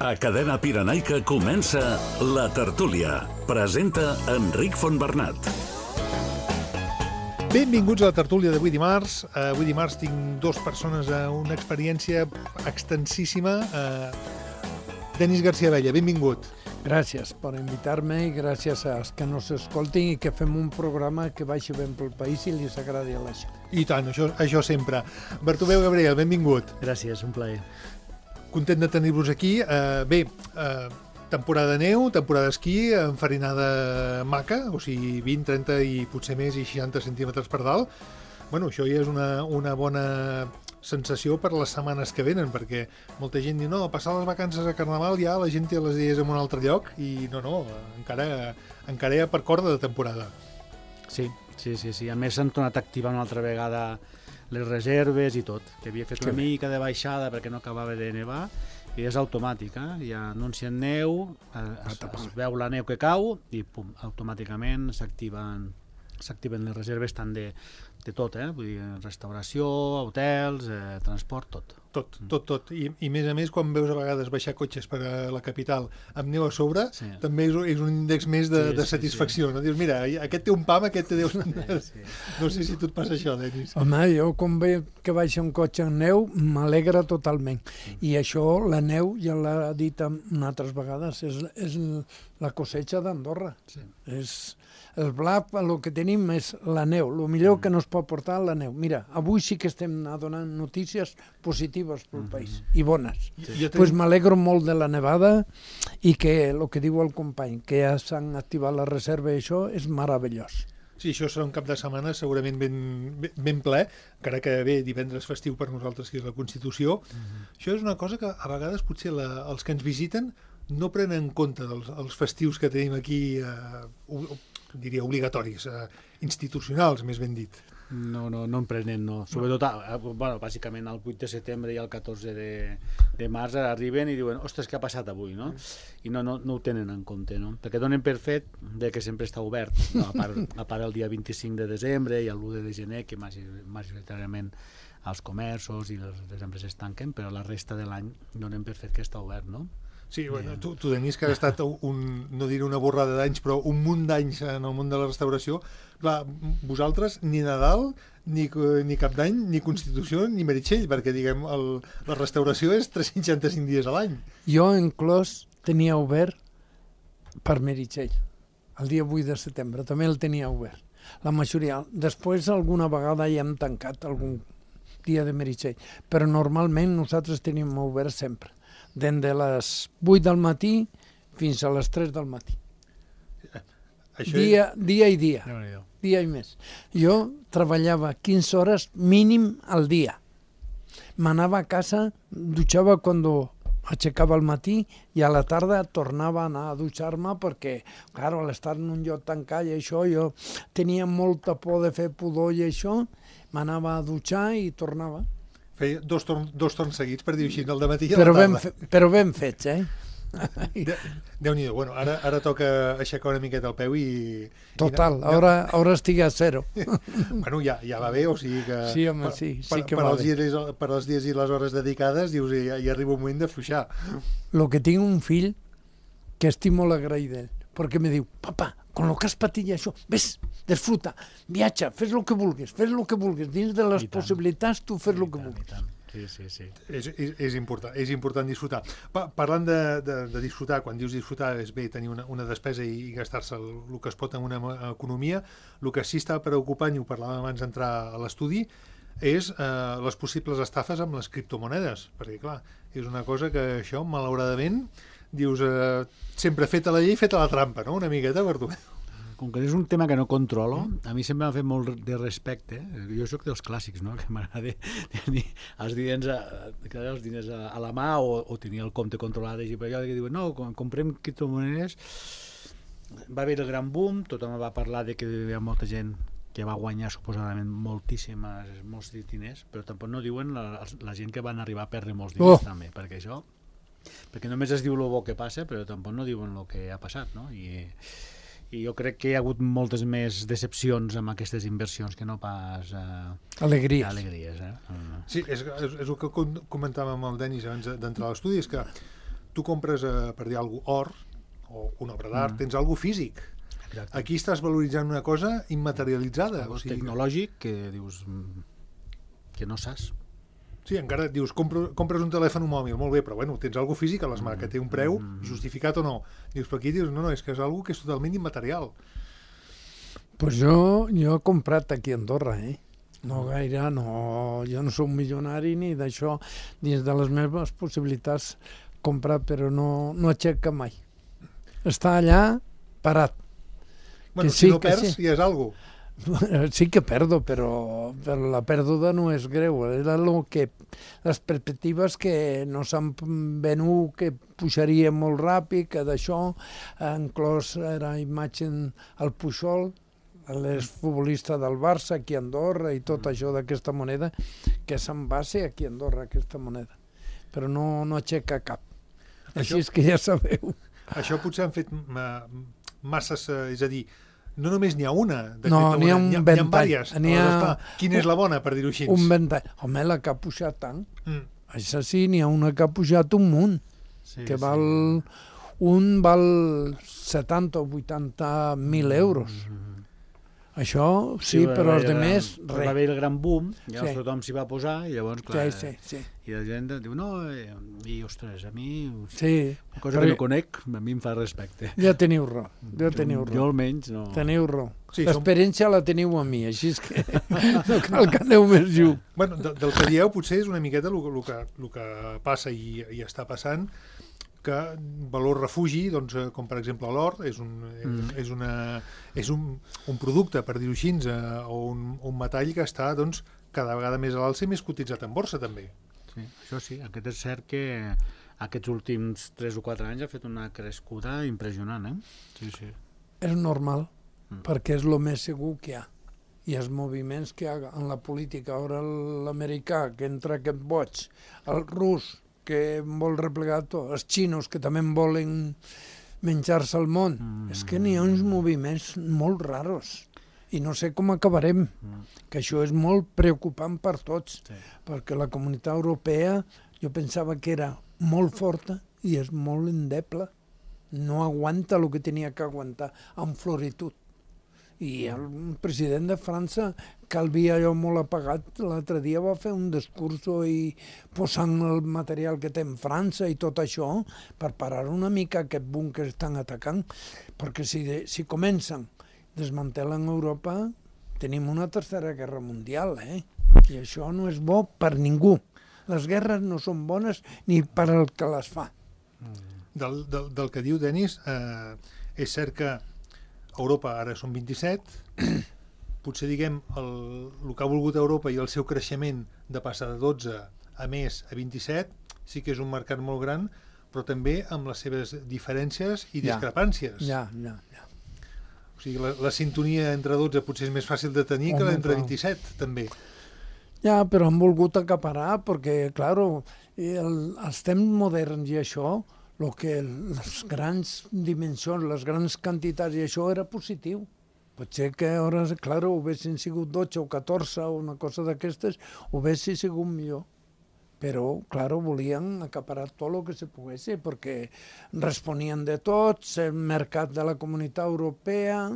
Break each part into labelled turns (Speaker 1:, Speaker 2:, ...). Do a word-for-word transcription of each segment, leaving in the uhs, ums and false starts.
Speaker 1: A Cadena Pirenaica comença La Tertúlia. Presenta Enric Fontbernat.
Speaker 2: Benvinguts a La Tertúlia d'avui dimarts. Uh, avui dimarts tinc dues persones a uh, una experiència extensíssima. Uh, Denis García Abella, benvingut.
Speaker 3: Gràcies per invitar-me i gràcies als que nos escoltin i que fem un programa que vagi ben pel país i li s'agradi a la gent.
Speaker 2: I tant, això, això sempre. Bartomeu Gabriel, benvingut.
Speaker 4: Gràcies, un plaer.
Speaker 2: Content de tenir-vos aquí. Uh, bé, uh, temporada de neu, temporada d'esquí, enfarinada maca, o sigui, vint, trenta i potser més i seixanta centímetres per dalt. Bueno, això ja és una, una bona sensació per les setmanes que venen, perquè molta gent diu, no, passar les vacances a Carnaval ja la gent té les idees en un altre lloc, i no, no, encara, encara hi ha per corda de temporada.
Speaker 4: Sí, sí, sí, sí. A més s'han tornat a activar una altra vegada les reserves i tot, que havia fet una mica de baixada perquè no acabava de nevar, i és automàtic, eh? Ja anuncien neu, es, es veu la neu que cau i pum, automàticament s'activen s'activen les reserves tant de, de tot, eh? Vull dir, restauració, hotels, eh, transport, tot.
Speaker 2: Tot, tot, tot. I, I més a més, quan veus a vegades baixar cotxes per a la capital amb neu a sobre, sí. També és, és un índex més de, sí, de satisfacció. Sí, sí. No? Dius, mira, aquest té un pam, aquest té Déu. Sí, sí. No sé si tu et passa això, Denis.
Speaker 3: Home, jo quan veig que baixa un cotxe en neu, m'alegra totalment. Mm. I això, la neu, ja l'ha dit altres vegades, és, és la cosecha d'Andorra. Sí. És... El blat, el que tenim és la neu, el millor que nos pot portar la neu. Mira, avui sí que estem donant notícies positives pel país, i bones. Doncs pues m'alegro molt de la nevada i que, el que diu el company, que ja s'han activat la reserva i això és meravellós.
Speaker 2: Sí, això serà un cap de setmana segurament ben, ben ple, encara que bé, divendres festiu per nosaltres, que és la Constitució. Uh-huh. Això és una cosa que a vegades potser la, els que ens visiten no prenen en compte dels els festius que tenim aquí, eh, diria obligatoris, eh, institucionals, més ben dit.
Speaker 4: No, no, no en prenen, no. Sobretot, eh, bueno, bàsicament el vuit de setembre i el catorze de, de març arriben i diuen, ostres, què ha passat avui, no? I no, no, no ho tenen en compte, no? Perquè donen per fet de que sempre està obert, no? a, part, a part el dia vint-i-cinc de desembre i l'u de gener, que majoritàriament els comerços i les, les empreses tanquen, però la resta de l'any donen per fet que està obert, no?
Speaker 2: Sí, bueno, tu, tu Denis, que has estat un, no diré una borrada d'anys, però un munt d'anys en el món de la restauració, clar, vosaltres ni Nadal, ni, ni Cap d'Any, ni Constitució, ni Meritxell, perquè, diguem, el, la restauració és tres-cents seixanta-cinc dies a l'any.
Speaker 3: Jo, en Clos, tenia obert per Meritxell, el dia vuit de setembre, també el tenia obert. La majoria. Després, alguna vegada ja hem tancat algun dia de Meritxell, però normalment nosaltres tenim obert sempre. Des de les vuit del matí fins a les tres del matí. Això dia, és... dia i dia. No, dia i més. Jo treballava quinze hores mínim al dia. M'anava a casa, dutxava quan aixecava al matí i a la tarda tornava a anar a dutxar-me perquè, clar, a l'estar en un lloc tancat i això, jo tenia molta por de fer pudor i això, m'anava a dutxar i tornava.
Speaker 2: Feia dos, torn, dos torns seguits, per dir així, el de matí i a
Speaker 3: però
Speaker 2: la tarda.
Speaker 3: Ben fe, però ben fets, eh?
Speaker 2: De, Déu-n'hi-do. Bueno, ara, ara toca aixecar una miqueta el peu i...
Speaker 3: Total,
Speaker 2: i,
Speaker 3: ara, ara estic a zero.
Speaker 2: Bueno, ja, ja va bé, o sigui que...
Speaker 3: Sí, home, sí, sí
Speaker 2: per,
Speaker 3: que
Speaker 2: per
Speaker 3: va
Speaker 2: els
Speaker 3: bé.
Speaker 2: Dies, per als dies i les hores dedicades, dius, ja, ja arriba un moment de fluixar.
Speaker 3: Lo que tinc un fill que estic molt agraït d'ell, perquè me diu, papa, con lo que has patit això, ves, disfruta, viatja, fes el que vulguis, fes el que vulguis, dins de les possibilitats tu fes el que vulguis.
Speaker 4: Sí, sí, sí.
Speaker 2: És, és, és, important, és important disfrutar. Pa, parlant de, de, de disfrutar, quan dius disfrutar és bé tenir una, una despesa i, i gastar-se el, el que es pot en una economia. El que sí està preocupant, i ho parlàvem abans d'entrar a l'estudi, és eh, les possibles estafes amb les criptomonedes, perquè clar, és una cosa que això, malauradament, dius, eh, sempre feta la llei, feta la trampa, no? Una miqueta per tu.
Speaker 4: Com que és un tema que no controlo, a mi sempre m'ha fet molt de respecte. Jo sóc dels clàssics, no? Que m'agrada tenir els diners, a, els diners a, a la mà o, o tenir el compte controlat. I per allò que diuen, no, quan comprem criptomonedes, va haver el gran boom, tothom va parlar de que hi havia molta gent que va guanyar suposadament moltíssimes, molts diners, però tampoc no diuen la, la gent que van arribar a perdre molts diners oh. també, perquè això, perquè només es diu el bo que passa, però tampoc no diuen el que ha passat, no? I... i jo crec que hi ha hagut moltes més decepcions amb aquestes inversions que no pas eh,
Speaker 3: alegries.
Speaker 4: alegries eh?
Speaker 2: Sí, és, és, és el que comentàvem amb el Denis abans d'entrar a l'estudi, és que tu compres, eh, per dir alguna cosa, or, o una obra d'art, mm. tens alguna físic. Exacte. Aquí estàs valoritzant una cosa immaterialitzada.
Speaker 4: O sigui, tecnològic que dius que no saps.
Speaker 2: Sí, encara et dius, compro, compres un telèfon mòbil, molt bé, però bueno, tens alguna físic a les mans, que té un preu, mm. justificat o no. Dius, però aquí dius, no, no, és que és alguna que és totalment immaterial.
Speaker 3: Pues jo, jo he comprat aquí a Andorra, eh? No gaire, no, jo no soc milionari ni d'això, dins de les meves possibilitats comprar, però no, no aixeca mai. Està allà parat.
Speaker 2: Bueno,
Speaker 3: que
Speaker 2: si
Speaker 3: sí,
Speaker 2: no perds,
Speaker 3: sí.
Speaker 2: ja és algo.
Speaker 3: Sí que perdo, però, però la pèrdua no és greu. Era lo que, les perspectives que no s'han venut, que pujaria molt ràpid, que d'això, inclòs era imatge al Pujol, l'exfutbolista del Barça aquí a Andorra i tot això d'aquesta moneda, que se'n va ser aquí a Andorra, aquesta moneda. Però no, no aixeca cap. Així és que ja sabeu.
Speaker 2: Això potser han fet masses, és a dir, no només n'hi ha una.
Speaker 3: No, n'hi ha un ventall.
Speaker 2: Quina és la bona, per dir-ho així?
Speaker 3: Un ventall. Home, la que ha pujat tant. Mm. Això sí, n'hi ha una que ha pujat un munt. Sí, que val... Sí. Un val setanta o vuitanta mil euros. Mm. Això, sí, sí però els altres, res.
Speaker 4: Va haver el gran boom, ja sí. Tothom s'hi va posar, i llavors, clar,
Speaker 3: sí, sí, sí.
Speaker 4: I la gent diu, no, i, ostres, a mi,
Speaker 3: sí,
Speaker 4: una cosa que no conec, a mi em fa respecte.
Speaker 3: Ja teniu raó, ja teniu raó.
Speaker 4: Jo almenys no.
Speaker 3: Teniu raó.
Speaker 2: Sí,
Speaker 3: l'experiència som... la teniu a mi, així és que no cal que aneu més lluny.
Speaker 2: Bueno, de, del que dieu potser és una miqueta el, el, que, el que passa i, i està passant, que valor refugi, doncs, com per exemple l'or, és, un, mm. és, una, és un, un producte, per dir-ho així, eh, o un, un metall que està doncs, cada vegada més a l'alça i més cotitzat en borsa, també.
Speaker 4: Sí, això sí, aquest és cert que aquests últims tres o quatre anys ha fet una crescuda impressionant, eh? Sí, sí.
Speaker 3: És normal, mm. perquè és el més segur que hi ha. I els moviments que hi ha en la política, ara l'americà, que entra aquest boig, el rus, que vol replegar tot, els xinos que també volen menjar-se el món. Mm. És que n'hi ha uns moviments molt raros i no sé com acabarem, mm. que això és molt preocupant per tots, sí. Perquè la Comunitat Europea jo pensava que era molt forta i és molt endeble. No aguanta el que tenia que aguantar amb floritud. I el president de França, que el havia jo molt apagat, l'altre dia va fer un discurs i posant el material que té en França i tot això per parar una mica aquest boom que estan atacant, perquè si, de, si comencen desmantelen Europa, tenim una tercera guerra mundial, eh? I això no és bo per ningú. Les guerres no són bones ni per al que les fa.
Speaker 2: Del, del, del que diu Denis, eh, és cert que Europa ara són vint-i-set, potser diguem el, el que ha volgut Europa i el seu creixement de passar de dotze a més a vint-i-set sí que és un mercat molt gran, però també amb les seves diferències i discrepàncies.
Speaker 3: Ja, ja, ja.
Speaker 2: O sigui, la, la sintonia entre dotze potser és més fàcil de tenir Home, que l'entre vint-i-set, també.
Speaker 3: Ja, però han volgut acaparar perquè, clar, el, els temps moderns i això, el que les grans dimensions, les grans quantitats i això era positiu. Potser que ara, clar, ho haguessin sigut dotze o catorze o una cosa d'aquestes, ho haguessin sigut millor. Però, clar, volien acaparar tot el que se pogués, perquè responien de tots, el mercat de la Comunitat Europea,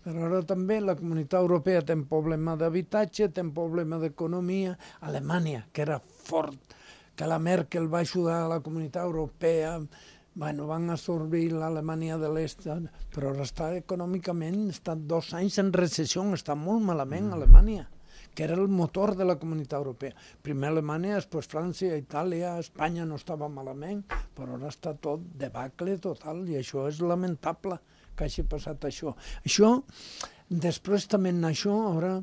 Speaker 3: però ara també la Comunitat Europea té un problema d'habitatge, té un problema d'economia. Alemanya, que era fort, que la Merkel va ajudar a la Comunitat Europea, bueno, van absorbir l'Alemanya de l'Est, però ara està econòmicament, està dos anys en recessió, està molt malament mm. Alemanya, que era el motor de la Comunitat Europea. Primer Alemanya, després França, Itàlia, Espanya no estava malament, però ara està tot debacle total, i això és lamentable que hagi passat això. Això, després també en això, ara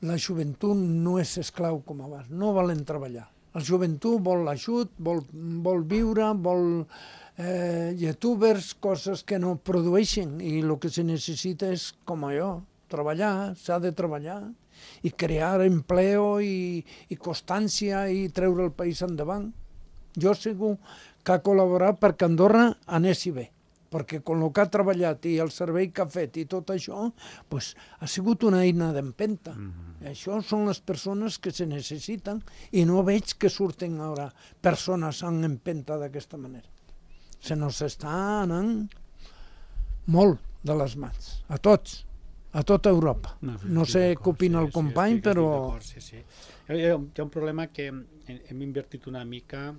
Speaker 3: la joventut no és esclau com abans, no volen treballar. La joventut vol l'ajut, vol, vol viure, vol eh, youtubers, coses que no produeixen, i el que se necessita és, com jo, treballar, s'ha de treballar, i crear empleo i, i constància i treure el país endavant. Jo segur que ha col·laborat perquè Andorra anessi bé, perquè amb el que ha treballat i el servei que ha fet i tot això, pues, ha sigut una eina d'empenta. Mm-hmm. Això són les persones que se necessiten i no veig que surten ara persones en empenta d'aquesta manera. Se nos està anant molt de les mans, a tots, a tota Europa.
Speaker 4: No, sí,
Speaker 3: No
Speaker 4: estic
Speaker 3: sé
Speaker 4: d'acord,
Speaker 3: què opina
Speaker 4: sí,
Speaker 3: el
Speaker 4: sí,
Speaker 3: company,
Speaker 4: estic-
Speaker 3: però...
Speaker 4: estic d'acord, Sí, sí. Hi ha, hi ha un problema que hem, hem invertit una mica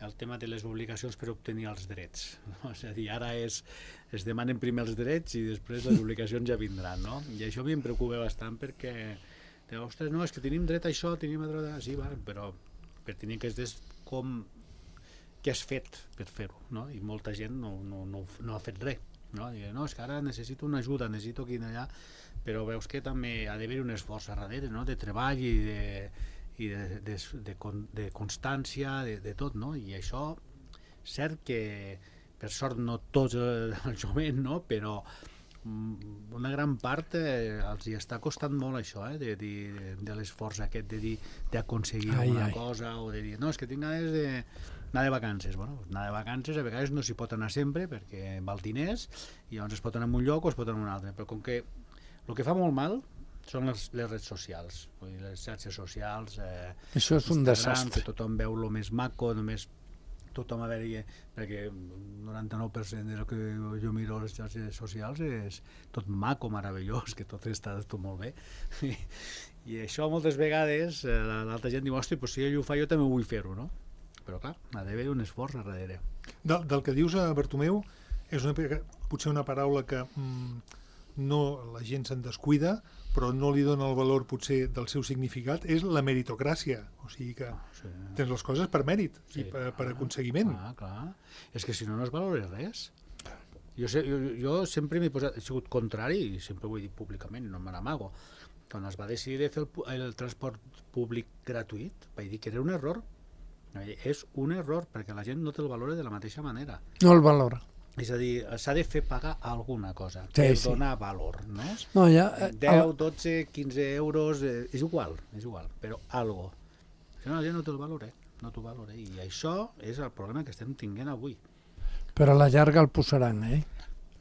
Speaker 4: el tema de les obligacions per obtenir els drets. No? És a dir, ara és, es demanen primer els drets i després les obligacions ja vindran. No? I això a mi em preocupa bastant perquè, de, ostres, no, és que tenim dret a això, tenim dret a... Sí, vale, però per tenir que és com què has fet per fer-ho, no? I molta gent no, no, no, no ha fet res. No? Digue, no, és que ara necessito una ajuda, necessito aquí i allà, però veus que també ha d'haver un esforç a darrere, no? De treball i de, i de, de, de, de constància, de, de tot, no? I això, cert que per sort no tots el jovent, no? Però una gran part eh, els hi està costant molt això, eh? de, de, de l'esforç aquest de dir d'aconseguir alguna cosa o de dir, no, és que tinc ganes de anar de vacances. Bueno, anar de vacances a vegades no s'hi pot anar sempre perquè val diners i llavors es pot anar a un lloc o es pot anar a un altre, però com que el que fa molt mal són les, les redes socials, vull dir, les xarxes socials, eh,
Speaker 3: això és un desastre,
Speaker 4: que tothom veu el més maco, només tothom a veure, perquè el noranta-nou per cent del que jo miro a les xarxes socials és tot maco, meravellós, que tot està tot molt bé. I, i això moltes vegades eh, l'altra gent diu, hosti, pues si ell ho fa jo també vull fer-ho, no? Però clar, ha d'haver un esforç a darrere.
Speaker 2: Del, del que dius, a Bartomeu, és una, potser una paraula que mm, no la gent se'n descuida, però no li dona el valor potser del seu significat, és la meritocràcia. O sigui que
Speaker 4: Ah, sí.
Speaker 2: tens les coses per mèrit
Speaker 4: Sí,
Speaker 2: i per, per
Speaker 4: clar,
Speaker 2: aconseguiment.
Speaker 4: Clar, clar. És que si no, no es valora res. Jo, sé, jo, jo sempre m'he posat, he sigut contrari, i sempre ho he dit públicament, no me n'amago. Quan es va decidir de fer el, pu- el transport públic gratuït, vaig dir que era un error. És un error, perquè la gent no te'l valora de la mateixa manera.
Speaker 3: no el valora.
Speaker 4: És a dir, s'ha de fer pagar alguna cosa,
Speaker 3: Sí,
Speaker 4: per
Speaker 3: sí.
Speaker 4: donar valor, no?
Speaker 3: No, ja, eh,
Speaker 4: deu, dotze, quinze euros, eh, és igual, és igual, però algo. Si no, la gent no te'l valora, no t'ho valora. I això és el problema que estem tinguent avui.
Speaker 3: però a la llarga el posaran, eh?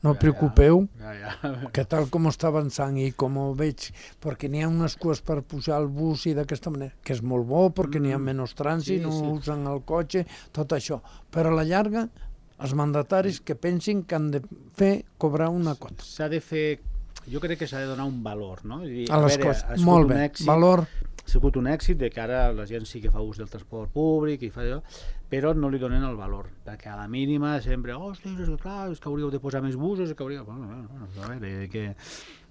Speaker 3: No
Speaker 4: Ja,
Speaker 3: preocupeu,
Speaker 4: Ja, ja.
Speaker 3: que tal com està avançant i com ho veig, perquè n'hi ha unes cues per pujar al bus i d'aquesta manera, que és molt bo perquè n'hi ha menys trànsit,
Speaker 4: Sí,
Speaker 3: no
Speaker 4: sí.
Speaker 3: usen el cotxe, tot això. Però a la llarga, els mandataris que pensin que han de fer cobrar una quota.
Speaker 4: S'ha de fer, jo crec que s'ha de donar un valor, no? I dir,
Speaker 3: A les
Speaker 4: veure,
Speaker 3: coses,
Speaker 4: ha sigut
Speaker 3: molt
Speaker 4: un
Speaker 3: bé,
Speaker 4: èxit,
Speaker 3: valor,
Speaker 4: ha sigut un èxit de que ara la gent sí que fa ús del transport públic i fa allò, però no li donen el valor, perquè a la mínima sempre, ostres, és que clar, és que hauríeu de posar més busos, és que hauríeu... Bueno, bueno, bueno, a veure, que...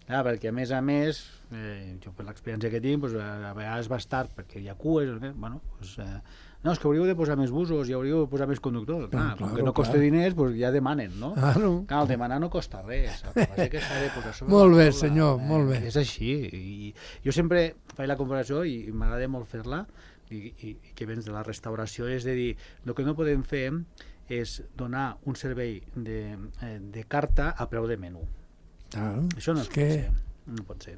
Speaker 4: Ah, perquè a més a més, eh, jo per l'experiència que tinc, pues, a vegades va estar perquè hi ha cues, eh, bueno, pues, eh, no, és que hauríeu de posar més busos i hauríeu de posar més conductors. Clar,
Speaker 3: claro,
Speaker 4: com que no costa
Speaker 3: claro.
Speaker 4: diners, pues ja demanen, no?
Speaker 3: Claro.
Speaker 4: Clar, el demanar no costa res, el que passa és que s'ha de posar sobre
Speaker 3: Molt
Speaker 4: la
Speaker 3: bé,
Speaker 4: taula,
Speaker 3: senyor, molt bé.
Speaker 4: És així, i jo sempre faig la comparació i, i m'agrada molt fer-la, i, i, i que vens de la restauració, és de dir, el que no podem fer és donar un servei de, eh, de carta a preu de menú.
Speaker 3: Claro,
Speaker 4: Això no
Speaker 3: és
Speaker 4: es
Speaker 3: que...
Speaker 4: pot ser. No pot ser.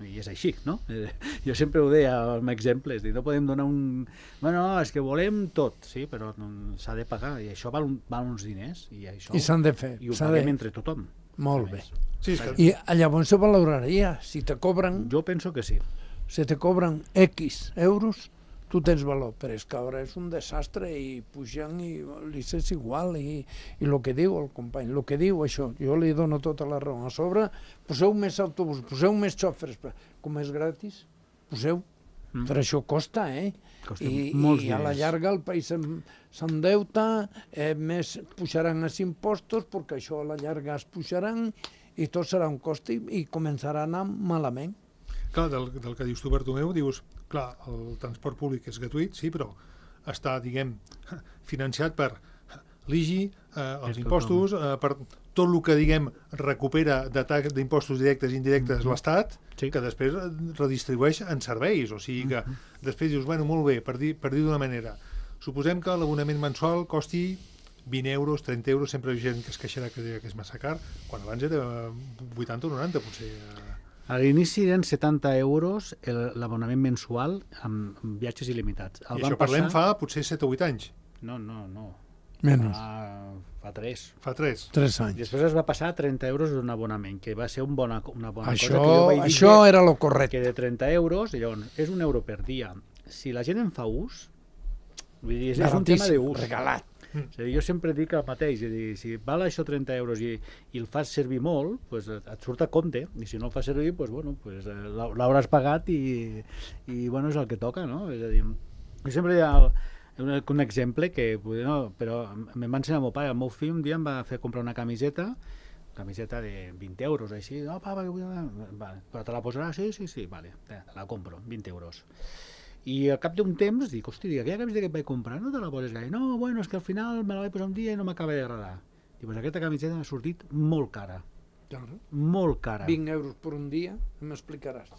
Speaker 4: I és així, no? Eh, jo sempre ho deia amb exemples, dir, no podem donar un... Bueno, és que volem tot, sí, però no- s'ha de pagar, i això val, un, val uns diners, i això...
Speaker 3: I s'han de fer.
Speaker 4: I ho
Speaker 3: s'ha
Speaker 4: paguem
Speaker 3: de...
Speaker 4: entre tothom.
Speaker 3: Molt
Speaker 4: a
Speaker 3: bé.
Speaker 4: més.
Speaker 2: Sí, és que
Speaker 3: I llavors se valoraria. Si te cobren,
Speaker 4: Jo penso que sí.
Speaker 3: si te cobren X euros, tu tens valor, però és que ara és un desastre i pugen i li és igual i, i el que diu el company, el que diu això, jo li dono tota la raó. A sobre, poseu més autobús, poseu més xòfers, com és gratis, poseu, mm. però això costa, eh?
Speaker 4: Costa
Speaker 3: I,
Speaker 4: molts
Speaker 3: i a la
Speaker 4: diners.
Speaker 3: llarga el país s'en- s'endeuta, eh, més pujaran els impostos, perquè això a la llarga es pujaran i tot serà un cost i, i començarà a anar malament.
Speaker 2: clar, del, del que dius tu, Bartomeu, dius, clar, el transport públic és gratuït, sí, però està, diguem, financiat per l'I G I, eh, els
Speaker 4: És
Speaker 2: impostos, eh, per tot el que, diguem, recupera de tax- d'impostos directes i indirectes
Speaker 4: Mhm.
Speaker 2: l'Estat,
Speaker 4: Sí.
Speaker 2: que després eh, redistribueix en serveis, o sigui que després dius, bueno, molt bé, per dir, per dir d'una manera, suposem que l'abonament mensual costi vint euros, trenta euros, sempre hi ha gent que es queixarà que dirà que és massa car, quan abans era vuitanta o noranta, potser. eh,
Speaker 4: A l'inici eren setanta euros el- l'abonament mensual amb, amb viatges il·limitats. El
Speaker 2: I
Speaker 4: van
Speaker 2: això parlem
Speaker 4: passar...
Speaker 2: fa potser set o vuit anys,
Speaker 4: No, no, no.
Speaker 3: Menys,
Speaker 4: Fa, fa tres.
Speaker 2: fa tres.
Speaker 3: tres
Speaker 4: I
Speaker 3: anys.
Speaker 4: després es va passar a trenta euros un abonament, que va ser un bona, una bona
Speaker 3: Això,
Speaker 4: cosa. Que jo vaig dir
Speaker 3: això
Speaker 4: que-
Speaker 3: era lo correcte.
Speaker 4: que de trenta euros, i llavors és un euro per dia. Si la gent en fa ús, vull dir, és, és un tema
Speaker 3: Baratíssim,
Speaker 4: d'ús.
Speaker 3: regalat.
Speaker 4: Mm. És a dir, jo sempre dic el mateix, és a dir, si val això trenta euros i, i el fas servir molt, pues et surt a compte, i si no el fas servir, pues, bueno, pues, l'hauràs pagat i, i bueno, és el que toca, no? És a dir, jo sempre hi ha el, un, un exemple que, no, però me'n va ensenyar el meu pare, el meu fill un dia em va fer comprar una camiseta, camiseta de vint euros, així, no, papa, que vull... Vale, però te la posaràs? Sí, sí, sí, vale, te la compro, vint euros. I al cap d'un temps dic, hosti, aquella camiseta que et vaig comprar no te la poses gaire? No, bueno, és que al final me la vaig posar un dia i no m'acaba d'agradar. Dic, pues aquesta camiseta m'ha sortit molt cara.
Speaker 3: Claro.
Speaker 4: Molt cara.
Speaker 3: vint euros per un dia, m'explicaràs.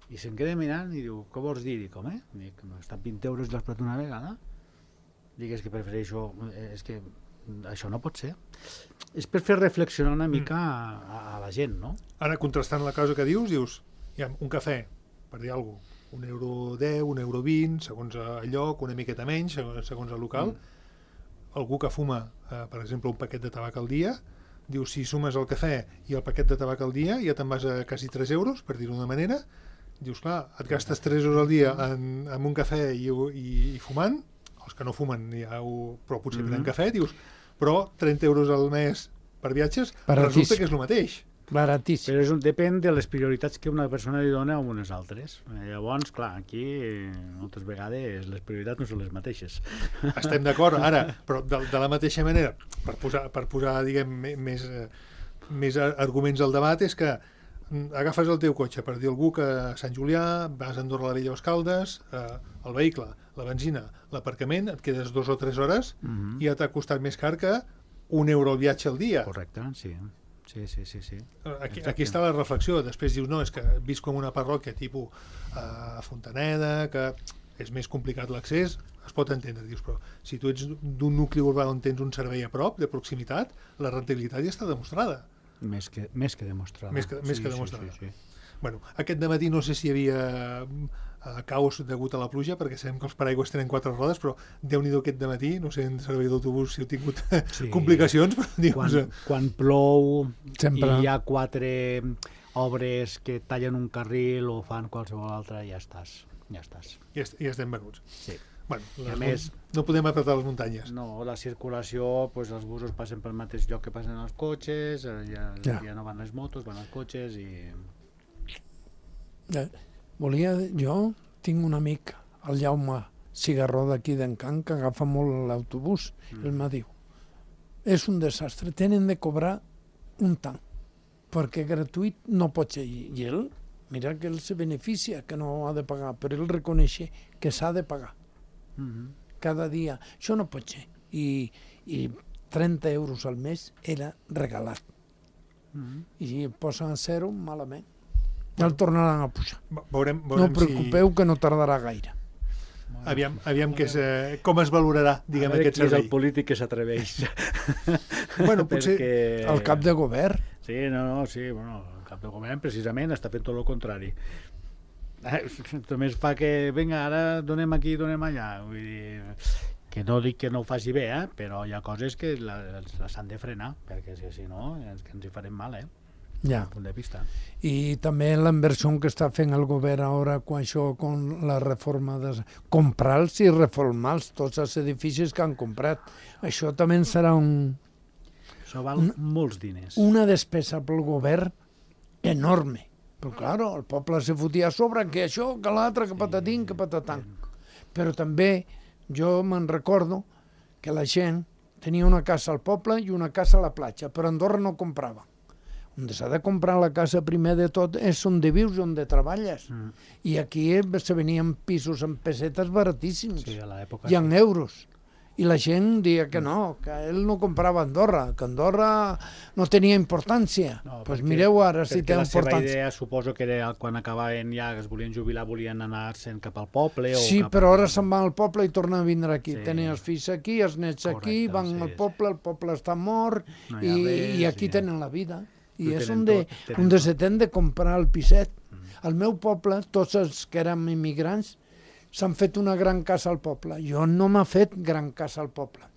Speaker 4: I se'm queda mirant i diu, què vols dir? Dic, home, dic, m'ha estat vint euros i l'has pagat una vegada? Dic, és que prefereixo... És que això no pot ser. És per fer reflexionar una mica a, a la gent, no?
Speaker 2: Ara, contrastant la cosa que dius, dius, ja, un cafè, per dir alguna cosa, un euro deu, un euro vint, segons el lloc, una miqueta menys, segons el local. Mm. Algú que fuma, eh, per exemple, un paquet de tabac al dia, diu, si sumes el cafè i el paquet de tabac al dia, ja te'n vas a quasi tres euros, per dir-ho d'una manera. Dius, clar, et gastes tres euros al dia en, en un cafè i, i, i fumant, els que no fumen, ja ho, però potser prenen mm-hmm. cafè, dius, però trenta euros al mes per viatges,
Speaker 3: baratíssim.
Speaker 2: Resulta que és el mateix.
Speaker 3: Baratíssim.
Speaker 4: Però és un, depèn de les prioritats que una persona li dona a unes altres. Llavors, clar, aquí moltes vegades les prioritats no són les mateixes.
Speaker 2: Estem d'acord, ara, però de, de la mateixa manera, per posar, per posar diguem, més, més arguments al debat, és que agafes el teu cotxe per dir algú que a Sant Julià, vas a Andorra la Vella o Escaldes, eh, el vehicle, la benzina, l'aparcament, et quedes dos o tres hores
Speaker 4: Mm-hmm.
Speaker 2: i ja t'ha costat més car que un euro al viatge al dia.
Speaker 4: Correcte, sí. Sí, sí, sí, sí.
Speaker 2: Aquí, aquí està la reflexió. Després dius, no, és que visc com una parròquia tipus a uh, Fontaneda, que és més complicat l'accés, es pot entendre, dius, però si tu ets d'un nucli urbà on tens un servei a prop, de proximitat, la rendibilitat ja està demostrada.
Speaker 4: Més que, més que demostrada.
Speaker 2: Més que, més
Speaker 4: sí,
Speaker 2: que demostrada.
Speaker 4: Sí, sí, sí.
Speaker 2: Bueno, aquest dematí no sé si hi havia uh, caos degut a la pluja, perquè sabem que els paraigües tenen quatre rodes, però Déu-n'hi-do aquest dematí, no sé en servei d'autobús si heu tingut sí. complicacions, però dius...
Speaker 4: Quan, quan plou
Speaker 3: Sempre.
Speaker 4: i hi ha quatre obres que tallen un carril o fan qualsevol altra, ja estàs. Ja estàs.
Speaker 2: Ja, ja estem venuts.
Speaker 4: Sí.
Speaker 2: Bueno,
Speaker 4: I a més,
Speaker 2: no podem apretar les muntanyes.
Speaker 4: No, la circulació, pues, els busos passen pel mateix lloc que passen els cotxes, ja,
Speaker 3: Ja.
Speaker 4: ja no van les motos, van els cotxes i...
Speaker 3: Eh, volia, jo tinc un amic, el Jaume Cigarró d'aquí d'Encant, que agafa molt l'autobús. Mm. Ell m'ha diu, és un desastre, tenen de cobrar un tant, perquè gratuït no pot ser. I ell, mira que ell se beneficia, que no ha de pagar, però ell reconeix que s'ha de pagar.
Speaker 4: Mm-hmm.
Speaker 3: Cada dia. Això no pot ser. I, i trenta euros al mes era regalat.
Speaker 4: Mm-hmm.
Speaker 3: I posen a zero malament. Ja el tornaran a pujar.
Speaker 2: Veurem,
Speaker 3: No
Speaker 2: veurem
Speaker 3: us preocupeu si... que no tardarà gaire.
Speaker 2: Si... Aviam, aviam que és, eh, com es valorarà, diguem,
Speaker 4: a veure
Speaker 2: aquest
Speaker 4: qui és
Speaker 2: servei.
Speaker 4: el polític que s'atreveix.
Speaker 2: Bueno, potser...
Speaker 4: Perquè...
Speaker 3: El cap de govern.
Speaker 4: Sí, no, no, sí, bueno, el cap de govern precisament està fent tot el contrari. Només fa que, vinga, ara donem aquí, donem allà. Vull dir, que no dic que no ho faci bé, eh? Però hi ha coses que les, les han de frenar, perquè si, si no, és que ens hi farem mal, eh?
Speaker 3: Ja.
Speaker 4: Punt de vista.
Speaker 3: I també la inversió que està fent el govern ara quan això, con la reforma de comprar-los i reformar-los, tots els edificis que han comprat. Això també serà un,
Speaker 4: Això val
Speaker 3: una,
Speaker 4: molts diners.
Speaker 3: una despesa pel govern enorme. Però, claro, el poble se fotia a sobre que això, que l'altre, que patatín, que patatant. Però també jo me'n recordo que la gent tenia una casa al poble i una casa a la platja, però a Andorra no comprava. On s'ha de comprar la casa primer de tot és on de vius, on de treballes. Mm. I aquí se venien pisos en pessetes baratíssims.
Speaker 4: Sí, a l'època.
Speaker 3: I en euros. I la gent deia que no, que ell no comprava a Andorra, que Andorra no tenia importància. Doncs no, pues mireu ara si té
Speaker 4: importància. Perquè la seva
Speaker 3: importància.
Speaker 4: idea suposo que era quan acabaven ja, que es volien jubilar, volien anar-se'n cap al poble.
Speaker 3: Sí,
Speaker 4: o cap
Speaker 3: però
Speaker 4: al...
Speaker 3: ara se'n van al poble i tornen a vindre aquí.
Speaker 4: Sí.
Speaker 3: Tenen els fills aquí, els nets
Speaker 4: Correcte,
Speaker 3: aquí, van
Speaker 4: sí,
Speaker 3: al poble, el poble està mort,
Speaker 4: no hi ha
Speaker 3: i,
Speaker 4: res,
Speaker 3: i aquí
Speaker 4: ja.
Speaker 3: tenen la vida. I
Speaker 4: Ho
Speaker 3: és
Speaker 4: tenen
Speaker 3: on de,
Speaker 4: tot, tenen
Speaker 3: on de
Speaker 4: tot.
Speaker 3: se ten de comprar el piset. Mm. Al meu poble, tots els que érem immigrants, s'han fet una gran casa al poble. Jo no m'ha fet gran casa al poble.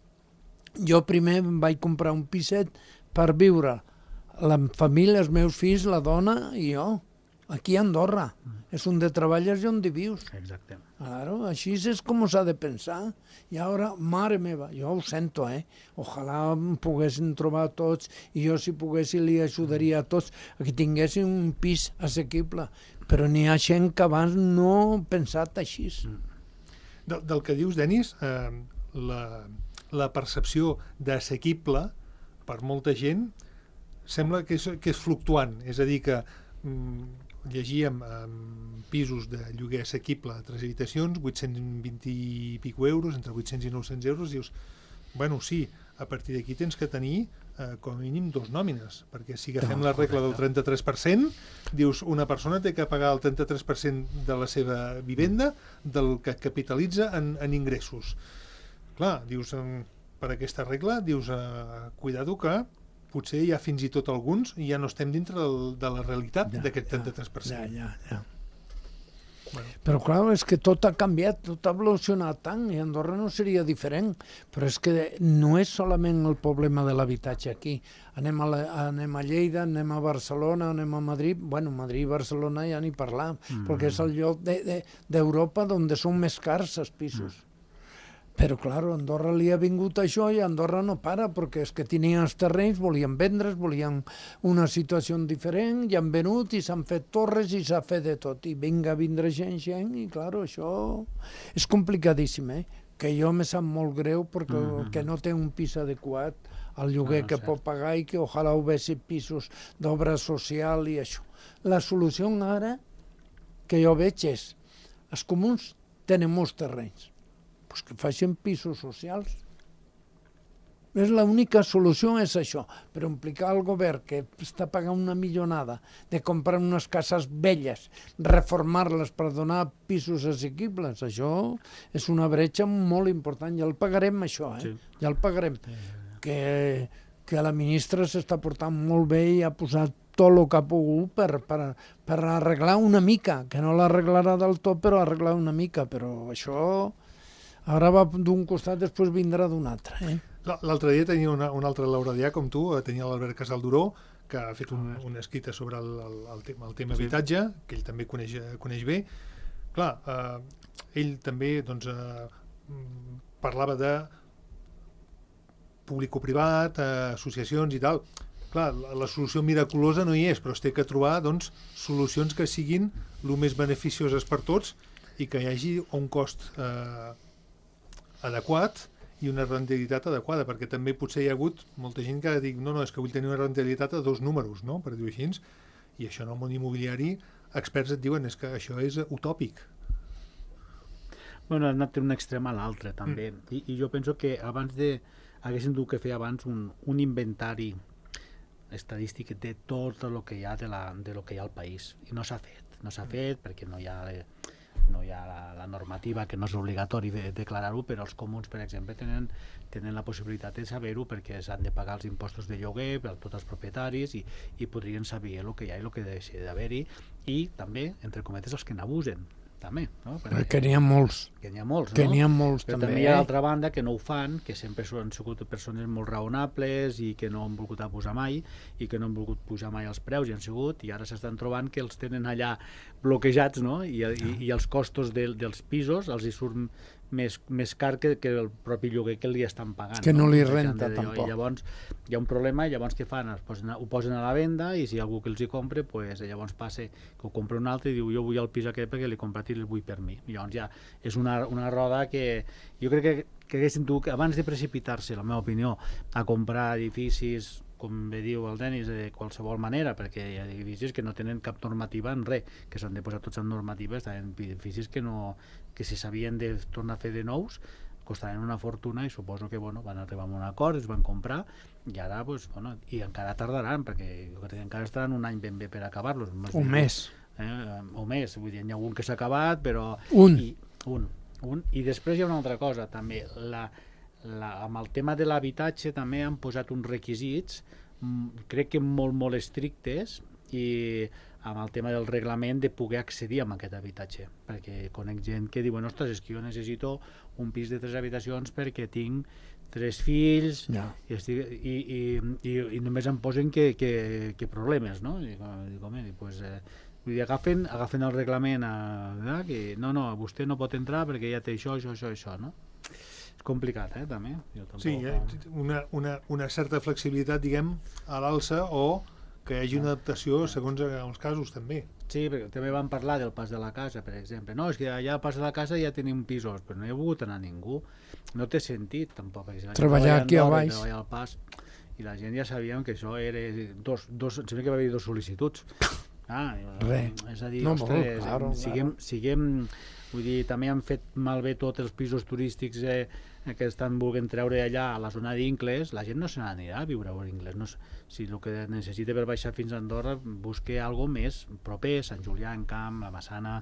Speaker 3: Jo primer em vaig comprar un piset per viure la família, els meus fills, la dona i jo. aquí a Andorra. És on de treballes i on de vius.
Speaker 4: Exacte.
Speaker 3: Claro, així és com s'ha de pensar. I ara, mare meva, jo ho sento, eh? Ojalà em poguessin trobar tots i jo, si poguessin, li ajudaria a tots a que tinguessin un pis assequible. Però n'hi ha gent que abans no ha pensat així.
Speaker 2: Del, del que dius, Denis, eh, la, la percepció d'assequible per molta gent sembla que és, que és fluctuant. És a dir, que mm, llegíem um, pisos de lloguer assequible a tres habitacions, vuit-cents vint i pico euros, entre vuit-cents i nou-cents euros, dius, bueno, sí, a partir d'aquí tens que tenir eh, com a mínim dos nòmines, perquè si agafem la regla del trenta-tres per cent, dius, una persona té que pagar el trenta-tres per cent de la seva vivenda del que capitalitza en, en ingressos. Clar, dius, per aquesta regla, dius, eh, cuidado que potser hi ha fins i tot alguns i ja no estem dintre del, de la realitat ja, d'aquest trenta-tres per cent.
Speaker 3: Ja, ja, ja.
Speaker 2: Bueno.
Speaker 3: Però clar, és que tot ha canviat, tot ha evolucionat tant, i Andorra no seria diferent. Però és que no és solament el problema de l'habitatge aquí. Anem a, la, anem a Lleida, anem a Barcelona, anem a Madrid. Bueno, Madrid i Barcelona ja ni parlar, mm. perquè és el lloc d'Europa de, de, on són més cars els pisos. Mm. Però, clar, a Andorra li ha vingut això i Andorra no para, perquè és que tenien els terrenys, volien vendre's, volien una situació diferent, i han venut i s'han fet torres i s'ha fet de tot. I vinga a vindre gent, gent, i, clar, això és complicadíssim, eh? Que jo me sap molt greu perquè mm-hmm. que no té un pis adequat al lloguer no, que cert. Pot pagar i que ojalà ho vessin pisos d'obra social i això. La solució ara que jo veig és els comuns tenen molts terrenys, pues que facin pisos socials. És l'única solució, és això. Però implicar al govern que està pagant una millonada de comprar unes cases velles, reformar-les per donar pisos assequibles, això és una bretxa molt important. Ja el pagarem, això, eh? Sí. Ja el pagarem. Que, que la ministra s'està portant molt bé i ha posat tot el que ha pogut per, per, per arreglar una mica, que no l'arreglarà del tot, però arreglar una mica. Però això ara va d'un costat, després vindrà d'un altre. Eh?
Speaker 2: L'altre dia tenia una, un altre lauradià com tu, tenia l'Albert Casalduró, que ha fet un, una escrita sobre el, el, el tema, el tema sí. habitatge, que ell també coneix, coneix bé. Clar, eh, ell també doncs, eh, parlava de público-privat, eh, associacions i tal. Clar, la, la solució miraculosa no hi és, però es té que trobar doncs, solucions que siguin el més beneficioses per tots i que hi hagi un cost eh, adequat i una rendibilitat adequada, perquè també potser hi ha hagut molta gent que diu no, no, és que vull tenir una rendibilitat a dos números, no?, per dir-ho així, i això en el món immobiliari experts et diuen és que això és utòpic.
Speaker 4: Bueno, ha anat d'un extrem a l'altre, també, mm. I, i jo penso que abans de haguéssim dut que fer abans un, un inventari estadístic de tot el que hi ha de, la, de lo que hi ha al país, i no s'ha fet, no s'ha fet perquè no hi ha... no hi ha la, la normativa, que no és obligatori de, declarar-ho, però els comuns, per exemple, tenen, tenen la possibilitat de saber-ho perquè s'han de pagar els impostos de lloguer per a tots els propietaris i, i podrien saber el que hi ha i el que deixa d'haver-hi, i també, entre cometes, els que n'abusen, també, no?
Speaker 3: Perquè que n'hi ha molts.
Speaker 4: Que n'hi ha molts,
Speaker 3: que
Speaker 4: no?
Speaker 3: n'hi ha molts,
Speaker 4: però
Speaker 3: també.
Speaker 4: també hi ha l'altra banda que no ho fan, que sempre han sigut persones molt raonables i que no han volgut abusar mai i que no han volgut pujar mai els preus i han sigut, i ara s'estan trobant que els tenen allà bloquejats, no? I, i, i els costos de, dels pisos els hi surt més, més car que, que el propi lloguer que li estan pagant.
Speaker 3: Que no, no li
Speaker 4: de,
Speaker 3: renta,
Speaker 4: de,
Speaker 3: tampoc.
Speaker 4: I llavors hi ha un problema, i llavors què fan? Es posen, ho posen a la venda, i si hi ha algú que els hi compra, pues, llavors passa que ho compra un altre i diu jo vull el pis aquest perquè l'he comprat i el vull per mi. I llavors ja és una, una roda que jo crec que, que haguéssim tu, que abans de precipitar-se, la meva opinió, a comprar edificis, com bé diu el Denis, de qualsevol manera, perquè hi ha edificis que no tenen cap normativa en res, que s'han de posar tots en normatives, en edificis que, no, que si s'havien de tornar a fer de nous, costaven una fortuna, i suposo que bueno, van arribar a un acord, es van comprar, i ara, pues, bueno, i encara tardaran, perquè jo crec que encara estaran un any ben bé per acabar-los.
Speaker 3: Un mes.
Speaker 4: Eh, o més, vull dir, hi ha algun que s'ha acabat, però...
Speaker 3: Un.
Speaker 4: I, un, un. I després hi ha una altra cosa, també, la... La, amb el tema de l'habitatge també han posat uns requisits m, crec que molt molt estrictes, i amb el tema del reglament de poder accedir a aquest habitatge, perquè conec gent que diuen ostres, és que jo necessito un pis de tres habitacions perquè tinc tres fills,
Speaker 3: Ja.
Speaker 4: i, estic, i, i, i, i només em posen que, que, que problemes, no? I dic, home, pues, eh, vull dir, agafen, agafen el reglament a, a, que no, no, vostè no pot entrar perquè ja té això, això, això, això, no? És complicat, eh, també. Jo tampoc,
Speaker 2: Sí, eh, una, una, una certa flexibilitat, diguem, a l'alça, o que hi hagi una adaptació segons els casos, també.
Speaker 4: Sí, perquè també vam parlar del pas de la casa, per exemple. No, és que allà al pas de la casa ja tenim pisos, però no hi ha volgut anar ningú. No té sentit, tampoc. Si
Speaker 3: treballar aquí a baix.
Speaker 4: Treballar al pas, i la gent ja sabíem que això era dos, dos, em sembla que va haver dos sol·licituds. Ah,
Speaker 3: Re.
Speaker 4: És a dir,
Speaker 3: No,
Speaker 4: ostres,
Speaker 3: molt, claro,
Speaker 4: siguem,
Speaker 3: claro.
Speaker 4: siguem, vull dir, també han fet malbé tots els pisos turístics eh, que estan volent treure allà a la zona d'Incles. La gent no se n'anirà a viure a Incles. No, si el que necessita per baixar fins a Andorra, busque algo més proper, Sant Julià en Camp, la Massana,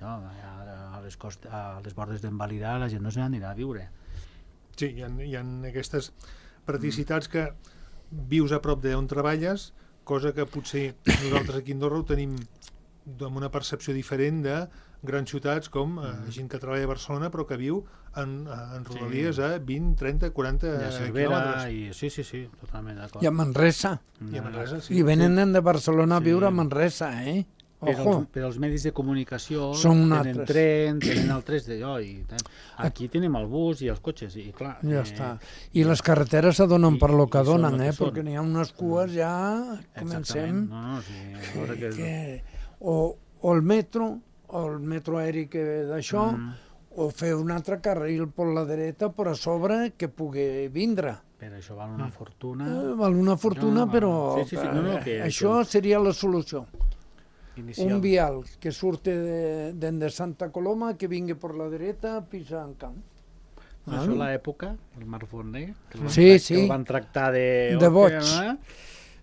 Speaker 4: allò, a, les cost, a les bordes d'en Valirà, la gent no se n'anirà a viure.
Speaker 2: Sí, hi ha, hi ha aquestes praticitats que vius a prop d'on treballes, cosa que potser nosaltres aquí a Andorra ho tenim amb una percepció diferent de grans ciutats com eh, gent que treballa a Barcelona però que viu en, en rodalies sí. a vint, trenta, quaranta quilòmetres.
Speaker 4: I... Sí, sí, sí, totalment d'acord.
Speaker 3: I a Manresa.
Speaker 2: I a Manresa, sí.
Speaker 3: I venen
Speaker 2: sí.
Speaker 3: de Barcelona a
Speaker 4: Sí.
Speaker 3: viure a Manresa, eh?
Speaker 4: Però
Speaker 3: Ojo.
Speaker 4: els, però els medis de comunicació
Speaker 3: Són
Speaker 4: tenen
Speaker 3: altres.
Speaker 4: tren, tenen altres d'allò. I tant. Aquí tenim el bus i els cotxes, i clar...
Speaker 3: Ja
Speaker 4: eh,
Speaker 3: està. I les carreteres s'adonen
Speaker 4: i-
Speaker 3: per lo
Speaker 4: i
Speaker 3: que
Speaker 4: són
Speaker 3: donen,
Speaker 4: el que
Speaker 3: eh?
Speaker 4: són.
Speaker 3: Perquè n'hi ha unes cues ja...
Speaker 4: Exactament.
Speaker 3: Comencem...
Speaker 4: No, no, sí, a veure
Speaker 3: Que,
Speaker 4: què...
Speaker 3: que, o, o el metro, o el metro aeri que ve d'això,
Speaker 4: Mm.
Speaker 3: o fer un altre carril per la dreta, per a sobre, que pugui vindre.
Speaker 4: Però això val una fortuna.
Speaker 3: Eh, val una fortuna,
Speaker 4: No,
Speaker 3: però
Speaker 4: sí, sí, sí, no, no, que-
Speaker 3: eh, això seria la solució.
Speaker 4: Inicial.
Speaker 3: Un vial que surte de, de, de Santa Coloma, que vingui per la dreta, pisa en camp.
Speaker 4: Això a l'època, el Mar Forner, que el van,
Speaker 3: Sí,
Speaker 4: trac-
Speaker 3: sí.
Speaker 4: que el van tractar de...
Speaker 3: De boig.
Speaker 4: Eh?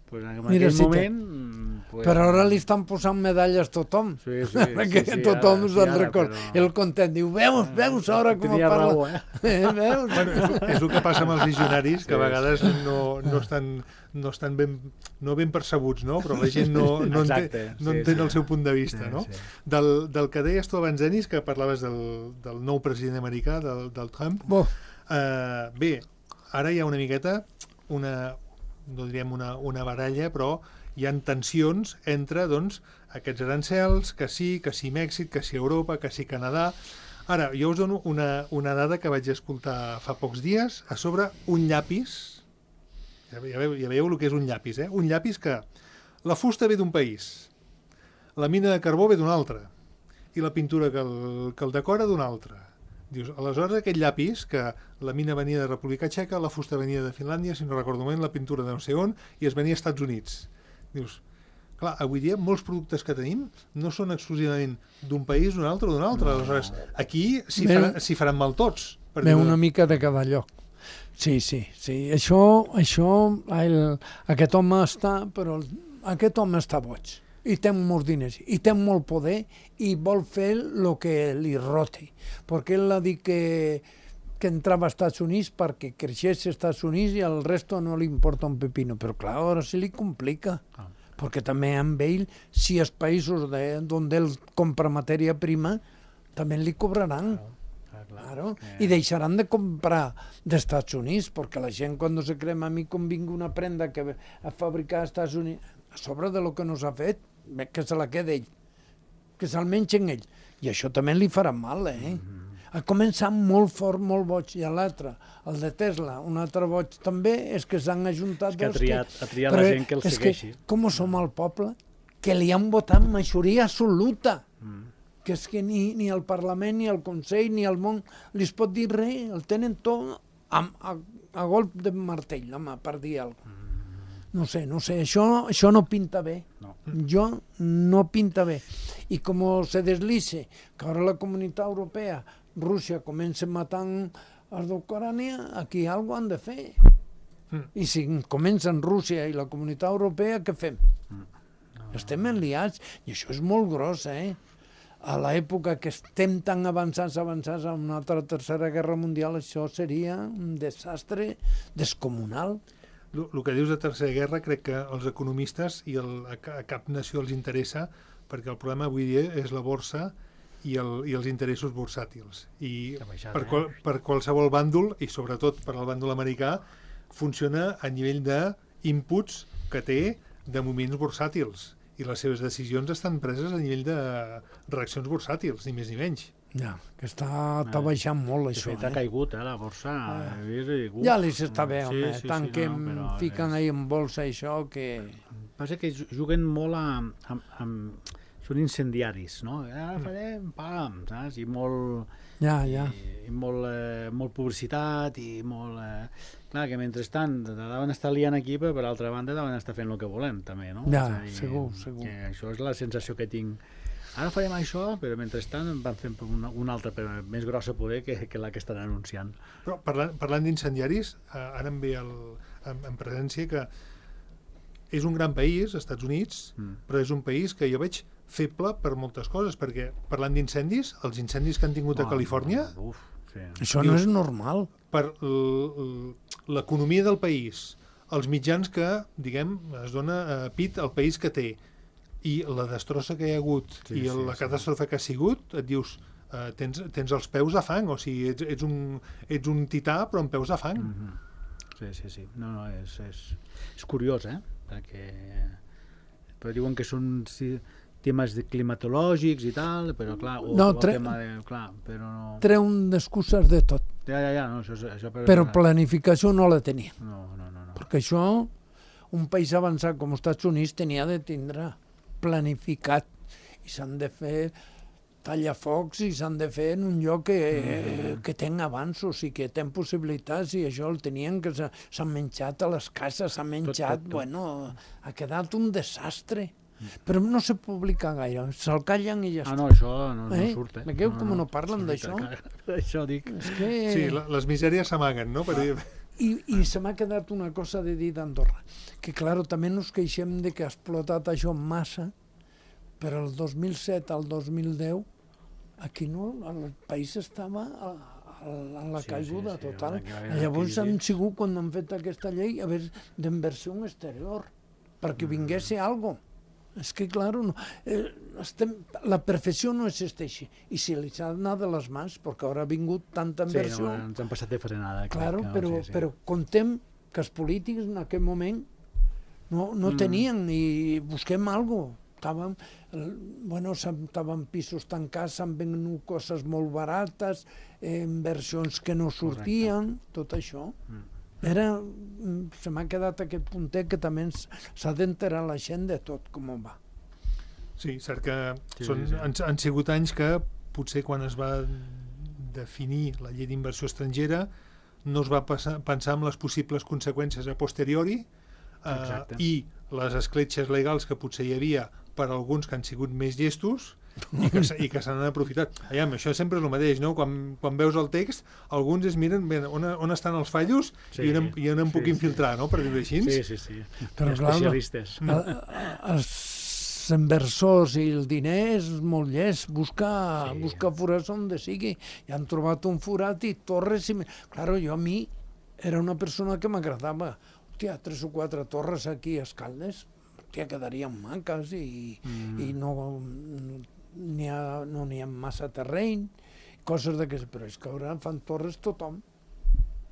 Speaker 4: Pues en
Speaker 3: Mira,
Speaker 4: aquell
Speaker 3: si te-
Speaker 4: moment... Pues,
Speaker 3: Però ara li estan posant medalles tothom.
Speaker 4: Sí, sí,
Speaker 3: Perquè
Speaker 4: sí, sí,
Speaker 3: tothom
Speaker 4: ara-
Speaker 3: se'n
Speaker 4: sí, ara,
Speaker 3: recorda.
Speaker 4: però-
Speaker 3: El content diu, veus, veus ara com
Speaker 4: Tenia
Speaker 3: parla.
Speaker 4: raó, eh?
Speaker 3: Eh, veus?
Speaker 2: Bueno, és, és el que passa amb els visionaris, que a
Speaker 4: Sí,
Speaker 2: vegades no, no estan, no estan ben, no ben percebuts, no? Però la gent no, no,
Speaker 4: Exacte,
Speaker 2: entén, no
Speaker 4: sí,
Speaker 2: entén
Speaker 4: sí.
Speaker 2: el seu punt de vista,
Speaker 4: Sí,
Speaker 2: no?
Speaker 4: sí.
Speaker 2: Del, del que deies tu abans, Denis, que parlaves del, del nou president americà, del, del Trump,
Speaker 3: Bo,
Speaker 2: eh, bé, ara hi ha una miqueta, una, no diríem una, una baralla, però hi ha tensions entre, doncs, aquests arancels, que sí, que sí Mèxic, que sí Europa, que sí Canadà. Ara, jo us dono una, una dada que vaig escoltar fa pocs dies, a sobre un llapis, ja, ja, veieu, ja veieu el que és un llapis, eh? Un llapis que la fusta ve d'un país, la mina de carbó ve d'un altre, i la pintura que el, que el decora d'un altre. Dius, aleshores aquest llapis, que la mina venia de República Txeca, la fusta venia de Finlàndia, si no recordo malament, la pintura de no sé on, i es venia als Estats Units. Dius, clar, avui dia molts productes que tenim no són exclusivament d'un país, d'un altre o d'un altre. Aleshores, aquí s'hi
Speaker 3: Bé,
Speaker 2: farà, s'hi faran mal tots. per
Speaker 3: ve
Speaker 2: dir-ho.
Speaker 3: una mica de cada lloc. Sí, sí, sí. Això, això el, aquest home està, però el, aquest home està boig. I té molts diners, i té molt poder, i vol fer el que li roti. Perquè ell ha dit que, que entrava als Estats Units perquè creixés als Estats Units i al resto no li importa un pepino. Però clar, ara se li complica.
Speaker 4: Ah.
Speaker 3: Perquè també amb ell, si els països de, on ell compra matèria prima, també li cobraran.
Speaker 4: Ah, clar.
Speaker 3: Claro.
Speaker 4: Eh.
Speaker 3: I deixaran de comprar d'Estats Units, perquè la gent quan se crema a mi com vingui una prenda que a fabricar als Estats Units, a sobre de lo que no s'ha fet, bé, que se la queda ell, que se'l mengen ell. I això també li farà mal, eh? Mm-hmm. Ha començat molt fort, molt boig, i l'altre, el de Tesla, un altre boig també, és que s'han ajuntat...
Speaker 4: És que ha
Speaker 3: dos
Speaker 4: triat, ha triat
Speaker 3: Però
Speaker 4: la gent que el
Speaker 3: és
Speaker 4: segueixi.
Speaker 3: Que, com som al poble, que li han votat majoria absoluta.
Speaker 4: Mm.
Speaker 3: Que és que ni, ni el Parlament, ni el Consell, ni el món li es pot dir res, el tenen tot a, a, a golp de martell, home, per dir alguna cosa. No sé, no sé, això, això no pinta bé.
Speaker 4: No.
Speaker 3: Jo no pinta bé. I com se deslice que ara la Comunitat Europea, Rússia comença matant els d'Ucrània, aquí alguna cosa han de fer.
Speaker 2: Mm.
Speaker 3: I si comencen Rússia i la Comunitat Europea, què fem? Estem enliats, i això és molt gros, eh? A l'època que estem tan avançats, avançats a una altra tercera guerra mundial, això seria un desastre descomunal.
Speaker 2: El, el que dius de tercera guerra crec que els economistes i el, a, ca- a cap nació els interessa, perquè el problema avui dia és la borsa i, el, i els interessos bursàtils. I
Speaker 4: baixat,
Speaker 2: per,
Speaker 4: eh?
Speaker 2: qual, per qualsevol bàndol, i sobretot per al bàndol americà, funciona a nivell d'inputs que té de moviments bursàtils. I les seves decisions estan preses a nivell de reaccions bursàtils, ni més ni menys.
Speaker 3: Ja, que està, està baixant molt,
Speaker 4: De
Speaker 3: això.
Speaker 4: fet, ha
Speaker 3: Eh?
Speaker 4: caigut, eh, la borsa.
Speaker 3: Ah.
Speaker 4: He vist, i, uf,
Speaker 3: Ja li s'està bé,
Speaker 4: sí,
Speaker 3: home.
Speaker 4: sí, sí,
Speaker 3: Tant
Speaker 4: no,
Speaker 3: que em
Speaker 4: però
Speaker 3: fiquen
Speaker 4: és-
Speaker 3: ahí en bolsa això que...
Speaker 4: Passa que juguen molt a, amb, amb, són incendiaris, no? Ara farem, pam, saps? I molt,
Speaker 3: Ja, ja.
Speaker 4: i, i molt, eh, molt publicitat i molt... Eh... Clar, que mentrestant deuen estar liant aquí, però per altra banda deuen estar fent el que volem, també, no?
Speaker 3: Ja,
Speaker 4: És a dir,
Speaker 3: segur, segur.
Speaker 4: Que això és la sensació que tinc. Ara farem això, però mentrestant van fent una, una altra, però més grossa poder que, que la que estan anunciant.
Speaker 2: Però parlant, parlant d'incendiaris, eh, ara em ve el, en, en presència que és un gran país, Estats Units,
Speaker 4: Mm.
Speaker 2: però és un país que jo veig feble per moltes coses, perquè parlant d'incendis, els incendis que han tingut a
Speaker 4: Oh,
Speaker 2: Califòrnia,
Speaker 4: Uf, sí.
Speaker 3: Això no
Speaker 2: Dius-
Speaker 3: és normal.
Speaker 2: per l- l- l'economia del país, els mitjans que, diguem, es dona a pit al país que té, i la destrossa que hi ha hagut,
Speaker 4: Sí,
Speaker 2: i
Speaker 4: sí,
Speaker 2: la
Speaker 4: sí.
Speaker 2: catàstrofe que ha sigut, et dius, eh, tens, tens els peus a fang, o sigui, ets, ets, un, ets un tità però amb peus a fang.
Speaker 4: Mhm. Sí, sí, sí. No, no, és, és, és curiós, eh? Perquè però diuen que són sí, temes de climatològics i tal, però clar, o,
Speaker 3: No,
Speaker 4: o el
Speaker 3: tre-
Speaker 4: tema de... Clar, però no...
Speaker 3: Treu excuses de tot,
Speaker 4: Ja, ja, ja, no, això, és- això per...
Speaker 3: però planificació no la tenia.
Speaker 4: No, no, no, no.
Speaker 3: Perquè això, un país avançat com els Estats Units tenia de tindre planificat i s'han de fer tallafocs i s'han de fer en un lloc que, mm. que ten avanços i que ten possibilitats i això el tenien que s'ha- s'han menjat a les cases, s'ha menjat,
Speaker 4: tot, tot.
Speaker 3: bueno, ha quedat un desastre. Però no se publica gaire, se'l callen i ja
Speaker 4: Ah,
Speaker 3: està.
Speaker 4: no, això no, no
Speaker 3: Eh?
Speaker 4: surt, eh?
Speaker 3: Veieu com no parlen
Speaker 4: Sí,
Speaker 3: d'això?
Speaker 4: clar, Això dic...
Speaker 3: És que...
Speaker 2: Sí, la, les misèries s'amaguen, no? Per dir,
Speaker 3: I, I se m'ha quedat una cosa de dir d'Andorra, que claro, també nos queixem de que ha explotat això massa, però el dos mil set al dos mil deu aquí no, el país estava a, a, a la
Speaker 4: Sí,
Speaker 3: caiguda
Speaker 4: sí, sí,
Speaker 3: total.
Speaker 4: aquí va haver una
Speaker 3: Llavors
Speaker 4: crisi.
Speaker 3: han sigut, quan han fet aquesta llei, a veure, d'inversió exterior, perquè
Speaker 4: Mm.
Speaker 3: vingués algo. És que, claro, no, eh, estem, la perfecció no existeix. I si li s'ha d'anar de les mans, perquè ara ha vingut tanta
Speaker 4: Sí,
Speaker 3: inversió...
Speaker 4: no, ens han passat de frenada.
Speaker 3: Claro,
Speaker 4: que no,
Speaker 3: però,
Speaker 4: sí, sí.
Speaker 3: però contem que els polítics en aquell moment no, no
Speaker 4: Mm.
Speaker 3: tenien i busquem alguna cosa. Estàvem, eh, bueno, s'han- estaven pisos tancats, s'han venut coses molt barates, eh, inversions que no sortien, tot això.
Speaker 4: Mm.
Speaker 3: Era, mm, se m'ha quedat aquest puntet que també ens- s'ha d'enterar la gent de tot com va.
Speaker 2: sí, cert que
Speaker 4: Sí,
Speaker 2: són,
Speaker 4: sí, sí.
Speaker 2: Han, han sigut anys que potser quan es va definir la llei d'inversió estrangera no es va passar, pensar en les possibles conseqüències a posteriori eh,
Speaker 4: Exacte.
Speaker 2: i les escletxes legals que potser hi havia per alguns que han sigut més llestos i que, se- i que se n'han aprofitat. Aviam, això sempre és el mateix, no? Quan, quan veus el text, alguns es miren bé, on, on estan els fallos
Speaker 4: Sí,
Speaker 2: i on, i on em
Speaker 4: sí,
Speaker 2: puc
Speaker 4: sí.
Speaker 2: infiltrar, no? Per dir-ho així.
Speaker 4: Sí, sí, sí.
Speaker 3: Però, clar,
Speaker 4: Especialistes.
Speaker 3: A- a- Els inversors i el diner és molt llest, busca,
Speaker 4: Sí.
Speaker 3: busca forats on de sigui. I han trobat un forat i torres... I... Claro, jo a mi era una persona que m'agradava. Hòstia, tres o quatre torres aquí a Escaldes, hòstia, quedarien maques i, mm. i no n'hi ha, no n'hi ha massa terreny, coses d'aquestes. Però és que ara fan torres tothom.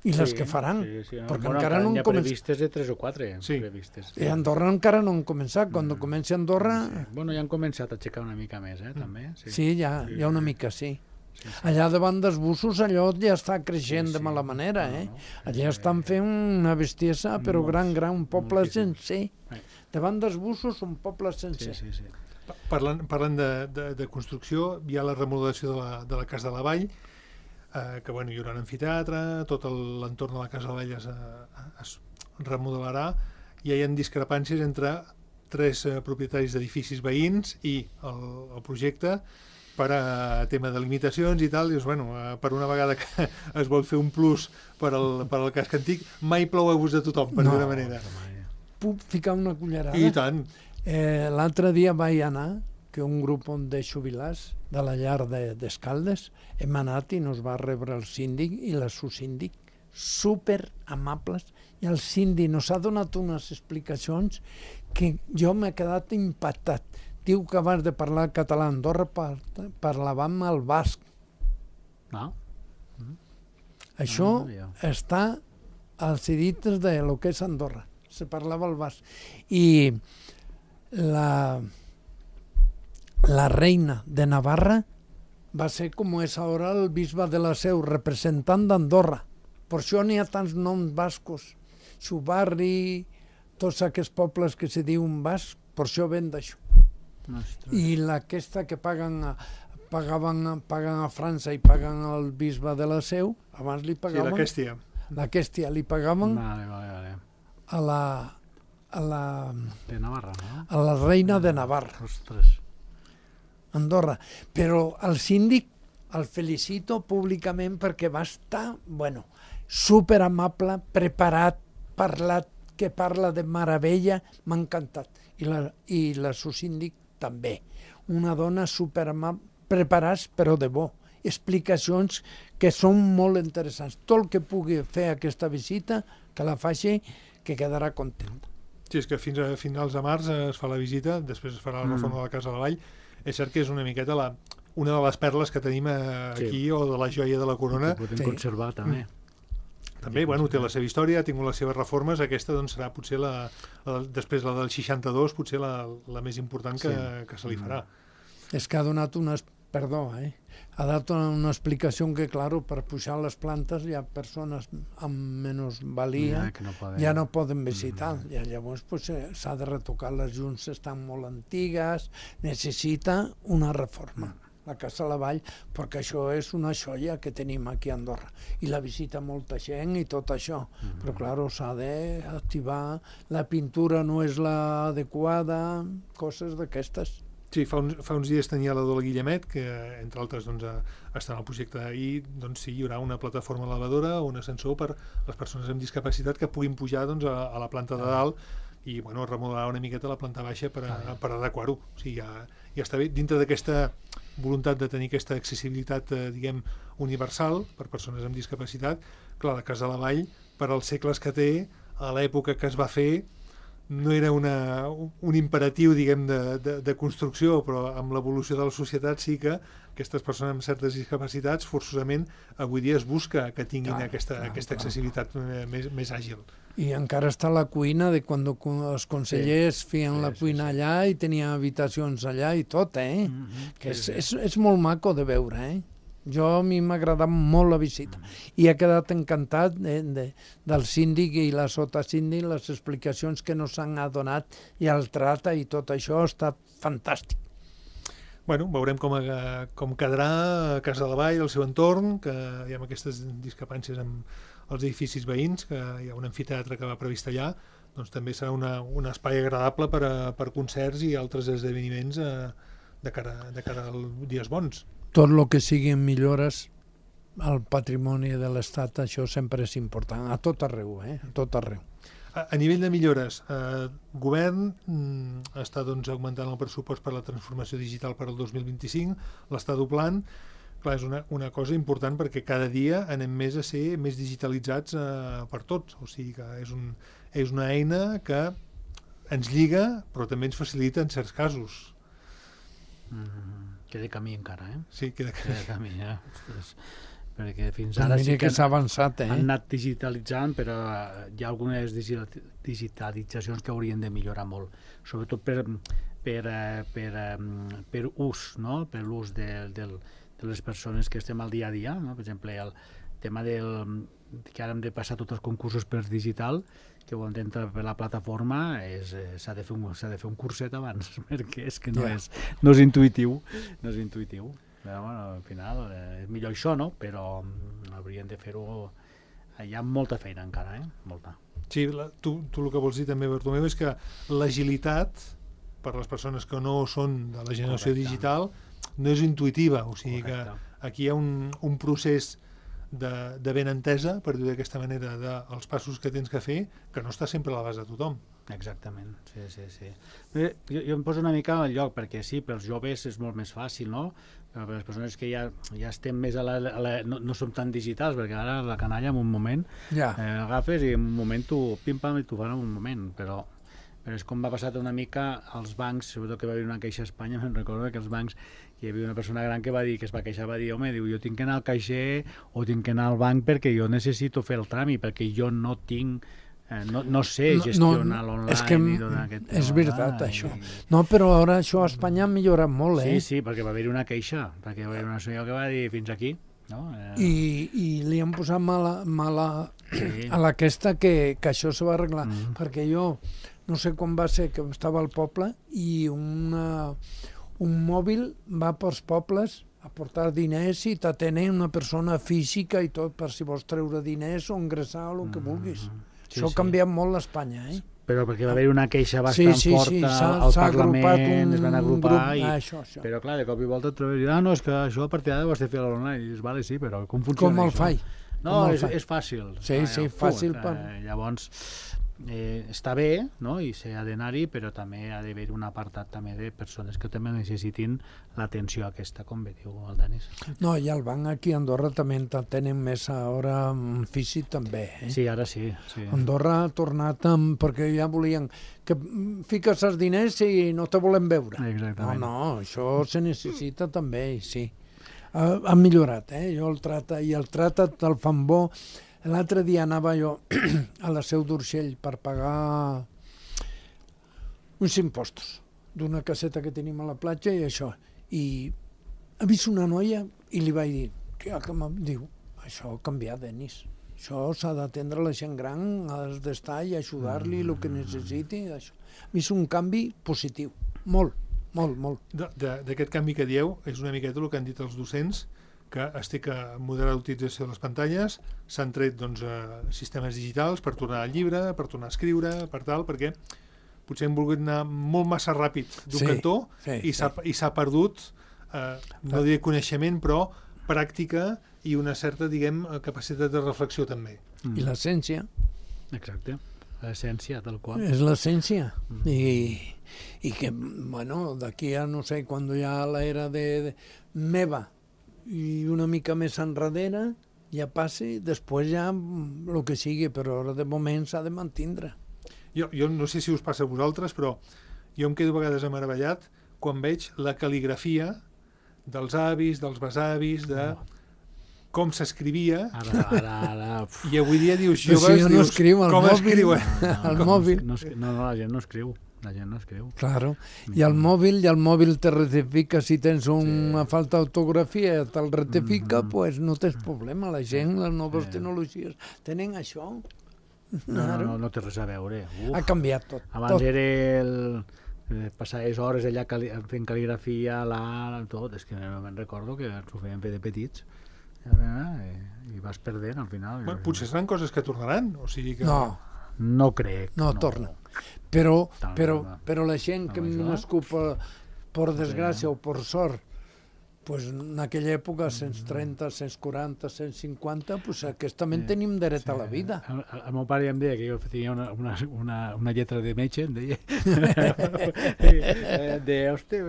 Speaker 3: I les que faran,
Speaker 4: Sí, sí, no,
Speaker 3: perquè
Speaker 4: bueno,
Speaker 3: encara no
Speaker 4: n'hi
Speaker 3: han
Speaker 4: ha
Speaker 3: començat.
Speaker 4: previstes de tres o quatre.
Speaker 2: Sí.
Speaker 4: Previstes.
Speaker 3: I Andorra encara no han començat. Quan
Speaker 4: Mm.
Speaker 3: comenci Andorra...
Speaker 4: Sí. Bueno, ja han començat a aixecar una mica més, eh, també. Sí,
Speaker 3: Sí, ja,
Speaker 4: Sí,
Speaker 3: hi ha una
Speaker 4: sí.
Speaker 3: mica, sí.
Speaker 4: sí, sí.
Speaker 3: Allà davant dels bussos allò ja està creixent
Speaker 4: Sí,
Speaker 3: de
Speaker 4: sí.
Speaker 3: mala manera,
Speaker 4: No,
Speaker 3: eh?
Speaker 4: no.
Speaker 3: Allà
Speaker 4: Sí.
Speaker 3: estan fent una bestiesa, però
Speaker 4: Molts,
Speaker 3: gran, gran, un poble
Speaker 4: moltíssims.
Speaker 3: sencer.
Speaker 4: Eh.
Speaker 3: Davant dels bussos, un poble
Speaker 4: Sí,
Speaker 3: sencer.
Speaker 4: sí, sí.
Speaker 2: Parlant, parlant de, de, de construcció, hi ha la remodelació de la, de la Casa de la Vall, eh, que bueno, hi haurà un amfiteatre, tot el- l'entorn de la Casa de la Vall es, eh, es remodelarà, i hi ha discrepàncies entre tres eh, propietaris d'edificis veïns i el, el projecte per a tema de limitacions i tal. Dius, bueno, eh, per una vegada que es vol fer un plus per al, per al casc antic, mai plou a gust de tothom, per
Speaker 3: No.
Speaker 2: d'una manera.
Speaker 3: Puc ficar una cullerada?
Speaker 2: I tant.
Speaker 3: Eh, L'altre dia vaig anar, que un grup de jubilats de la llar de- d'Escaldes, hem anat i nos va rebre el síndic i la subsíndic, super amables, i el síndic nos ha donat unes explicacions que jo m'he quedat impactat. diu que abans de parlar català a Andorra par parlàvem el basc.
Speaker 4: Ah.
Speaker 3: Això
Speaker 4: Ah, ja.
Speaker 3: està als edites de lo que és Andorra. Se parlava el basc. I la, la reina de Navarra va ser com és ara el bisbe de la Seu, representant d'Andorra. Per això n'hi ha tants noms bascos. Xubarri, tots aquests pobles que se diuen basc, per això ven d'això.
Speaker 4: Ostres.
Speaker 3: I aquesta que paguen a, pagaven, paguen a França i paguen al bisbe de la Seu, abans li
Speaker 2: Sí,
Speaker 3: pagaven...
Speaker 2: la Quèstia.
Speaker 3: La Quèstia li pagaven
Speaker 4: Vale, vale, vale.
Speaker 3: a la, a la,
Speaker 4: De Navarra, no?
Speaker 3: a la reina de Navarra,
Speaker 4: Ostres.
Speaker 3: Andorra. Però el síndic el felicito públicament perquè va estar, bueno, super amable, preparat, parlat, que parla de meravella, m'ha encantat. I la, i la subsíndic també. Una dona super amable, preparats però de bo. Explicacions que són molt interessants. Tot el que pugui fer aquesta visita, que la faci, que quedarà content.
Speaker 2: Sí, és que fins a finals de març es fa la visita, després es farà la reforma de la Casa de la Vall. És cert que és una miqueta la, una de les perles que tenim aquí,
Speaker 4: Sí.
Speaker 2: o de la joia de la corona.
Speaker 4: Que podem
Speaker 3: Sí.
Speaker 4: conservar, també.
Speaker 2: També, bueno, té la seva història, ha tingut les seves reformes, aquesta doncs serà potser la, la després la del seixanta-dos, potser la, la més important que,
Speaker 4: Sí.
Speaker 2: que se li farà.
Speaker 3: És que ha donat una... Perdó, eh? Ha donat una explicació que, claro, per pujar les plantes hi ha persones amb menys valia,
Speaker 4: Ja, que no poden...
Speaker 3: ja no poden visitar. I llavors pues, eh, s'ha de retocar, les junts estan molt antigues, necessita una reforma. La Casa de la Vall, perquè això és una joia que tenim aquí a Andorra. I la visita molta gent i tot això. Però, claro, s'ha d'activar, la pintura no és la adequada, coses d'aquestes.
Speaker 2: Sí, fa uns, fa uns dies tenia la Dola Guillemet, que entre altres doncs, a, està en el projecte, i doncs, sí, hi haurà una plataforma elevadora o un ascensor per les persones amb discapacitat que puguin pujar doncs, a, a la planta de dalt i bueno, remodelar una miqueta la planta baixa per, a, per adequar-ho. O sigui, ja, ja està bé, dintre d'aquesta voluntat de tenir aquesta accessibilitat, eh, diguem, universal per persones amb discapacitat. Clar, la Casa de la Vall, per als segles que té, a l'època que es va fer, no era una, un imperatiu, diguem, de, de, de construcció, però amb l'evolució de la societat sí que aquestes persones amb certes discapacitats forçosament avui dia es busca que tinguin
Speaker 3: Clar,
Speaker 2: aquesta,
Speaker 3: clar,
Speaker 2: aquesta
Speaker 3: clar.
Speaker 2: accessibilitat més, més àgil.
Speaker 3: I encara està la cuina de quan els consellers sí, feien
Speaker 4: sí,
Speaker 3: la
Speaker 4: sí,
Speaker 3: cuina
Speaker 4: sí.
Speaker 3: allà i tenia habitacions allà i tot, eh?
Speaker 4: Mm -hmm.
Speaker 3: Que és, és, és molt maco de veure, eh? Jo, a mi m'ha agradat molt la visita i he quedat encantat de, de, del síndic i la sotasíndic, les explicacions que nos han donat i el tracte i tot això ha estat fantàstic.
Speaker 2: Bueno, veurem com, a, com quedarà a Casa de la Vall, el seu entorn, que hi ha aquestes discrepàncies amb els edificis veïns, que hi ha un amfiteatre que va previst allà, doncs també serà una, un espai agradable per, a, per concerts i altres esdeveniments a, de, cara, de cara als dies bons.
Speaker 3: Tot el que siguin millores al patrimoni de l'Estat, això sempre és important, a tot arreu, eh? A tot arreu.
Speaker 2: A, a nivell de millores, el eh, govern mm, està doncs, augmentant el pressupost per la transformació digital per al dos mil vint-i-cinc, l'està doblant. Clar, és una, una cosa important perquè cada dia anem més a ser més digitalitzats eh, per tots, o sigui que és, un, és una eina que ens lliga però també ens facilita en certs casos.
Speaker 4: Mm -hmm. Queda camí encara, eh?
Speaker 2: Sí, queda que...
Speaker 4: Queda camí, eh? Ostres. Perquè fins ara
Speaker 3: Mira
Speaker 4: sí que,
Speaker 3: que s'ha avançat, eh?
Speaker 4: han anat digitalitzant, però hi ha algunes digitalitzacions que haurien de millorar molt, sobretot per, per, per, per ús, no? Per l'ús de, del, de les persones que estem al dia a dia, no? Per exemple, el tema del, que ara hem de passar tots els concursos per digital, que ho hem d'entrar per la plataforma, s'ha de, de fer un curset abans, perquè és que no,
Speaker 3: Yeah.
Speaker 4: és, no és intuïtiu, no és intuïtiu. Però, bueno, al final eh, és millor això, no? Però mm, haurien de fer-ho... Hi ha molta feina encara, eh? Molta.
Speaker 2: Sí, la, tu, tu el que vols dir també, Bartomeu, és que l'agilitat per les persones que no són de la generació
Speaker 4: Correcte.
Speaker 2: digital no és intuïtiva, o sigui
Speaker 4: Correcte.
Speaker 2: que aquí hi ha un, un procés de, de ben entesa, per dir d'aquesta manera, dels passos que tens que fer, que no està sempre a l'abast de tothom.
Speaker 4: Exactament, sí, sí, sí. Bé, jo, jo em poso una mica al lloc, perquè sí, pels joves és molt més fàcil, no? Però per les persones que ja, ja estem més a la... A la no, no som tan digitals, perquè ara la canalla en un moment
Speaker 3: Ja.
Speaker 4: eh, agafes i en un moment tu pim-pam i t'ho fan en un moment, però, però és com va passar una mica als bancs, sobretot que va haver una queixa a Espanya, me'n recordo que els bancs hi havia una persona gran que va dir, que es va queixar, va dir, home, diu, jo tinc que anar al caixer o tinc que anar al banc perquè jo necessito fer el tràmit, perquè jo no tinc, eh, no, no sé gestionar no, no, l'online.
Speaker 3: És que
Speaker 4: i tot aquest
Speaker 3: és veritat,
Speaker 4: i...
Speaker 3: això. No, però ara això a Espanya ha millorat molt, eh?
Speaker 4: Sí, sí, perquè va haver una queixa, perquè va haver una senyora que va dir fins aquí, no? Eh...
Speaker 3: I, i li han posat mala, mala sí. a l'aquesta que, que això se va arreglar, mm. perquè jo no sé quan va ser que estava al poble i una, un mòbil va pels pobles a portar diners i t'atenen una persona física i tot per si vols treure diners o ingressar o el que vulguis. Mm. Sí, això ha sí. canviat molt a Espanya, eh?
Speaker 4: Però perquè va haver una queixa bastant
Speaker 3: sí, sí,
Speaker 4: forta
Speaker 3: sí.
Speaker 4: al Parlament,
Speaker 3: un,
Speaker 4: es van agrupar,
Speaker 3: grup...
Speaker 4: i...
Speaker 3: ah, això, això.
Speaker 4: però clar, de cop i volta et trobes, ah, no, és que això a partir d'ara ho has de fer a l'online, i dius, vale, sí, però com funciona
Speaker 3: com el
Speaker 4: això?
Speaker 3: Fai.
Speaker 4: No,
Speaker 3: com
Speaker 4: és, és fàcil.
Speaker 3: Sí, ah, sí, fàcil.
Speaker 4: Punt.
Speaker 3: Per...
Speaker 4: Eh, llavors, eh, està bé, no?, i s'ha d'anar-hi, però també ha d'haver un apartat també de persones que també necessitin l'atenció aquesta, com bé diu el Denis.
Speaker 3: No, i el banc aquí a Andorra també tenen més ara físic també, eh?
Speaker 4: Sí, ara sí. sí.
Speaker 3: Andorra ha tornat amb... perquè ja volien que fiques els diners i no te volem veure.
Speaker 4: Exactament.
Speaker 3: No, no, això se necessita també, sí. Ha, ha millorat, eh? Jo el trata, i el trata te'l fan bo. L'altre dia anava jo a la Seu d'Urgell per pagar uns impostos d'una caseta que tenim a la platja i això. I he vist una noia i li vaig dir, que, que diu, això ha canviat, Denis. Això s'ha d'atendre la gent gran, has d'estar i ajudar-li el que necessiti. Això. He vist un canvi positiu, molt, molt, molt.
Speaker 2: D'aquest canvi que dieu, és una miqueta el que han dit els docents, que es té que moderar l'utilització de les pantalles, s'han tret doncs, eh, sistemes digitals per tornar al llibre, per tornar a escriure, per tal, perquè potser hem volgut anar molt massa ràpid d'un
Speaker 3: sí,
Speaker 2: cantó
Speaker 3: sí,
Speaker 2: i s'ha
Speaker 3: sí.
Speaker 2: perdut, eh, no diré coneixement, però pràctica i una certa, diguem, capacitat de reflexió també.
Speaker 3: Mm. I l'essència.
Speaker 4: Exacte, l'essència tal qual.
Speaker 3: És l'essència. Mm. I, I que, bueno, d'aquí a no sé, quan hi ha l'era de, de meva, i una mica més enrere ja passi, després ja el que sigui, però ara de moment s'ha de mantindre.
Speaker 2: Jo, jo no sé si us passa a vosaltres, però jo em quedo a vegades meravellat quan veig la cal·ligrafia dels avis, dels besavis, de com s'escrivia,
Speaker 4: ara, ara, ara,
Speaker 2: i avui dia dius,
Speaker 3: joves,
Speaker 2: joves,
Speaker 3: si no
Speaker 2: dius,
Speaker 3: escriu,
Speaker 2: com
Speaker 3: mòbil,
Speaker 2: escriuen?
Speaker 3: No, no, el
Speaker 4: no,
Speaker 3: mòbil.
Speaker 4: No, no, no, la gent no escriu. La gent no escriu.
Speaker 3: Claro. I el mòbil, i el mòbil te rectifica si tens una sí. falta d'autografia, te'l rectifica, doncs mm -hmm. pues no tens problema. La gent, les noves sí. tecnologies, tenen això.
Speaker 4: No, no, no, no té res a veure. Uf.
Speaker 3: Ha canviat tot.
Speaker 4: Abans
Speaker 3: tot.
Speaker 4: era el... passar les hores allà cali... fent cal·ligrafia, la... tot. És que no me'n recordo que ens ho feien fer de petits. I, i vas perdent al final.
Speaker 2: Bueno, potser seran coses que tornaran. O sigui que...
Speaker 3: No.
Speaker 4: No crec.
Speaker 3: No,
Speaker 4: no.
Speaker 3: torna. Però, però, però la gent que hem nascut per, per desgràcia o per sort, pues en aquella època, cent trenta, cent quaranta, cent cinquanta, pues aquesta sí, tenim dret sí. a la vida.
Speaker 4: El, el meu pare em deia que jo tenia una, una, una, una lletra de metge, em deia. de, hòstia,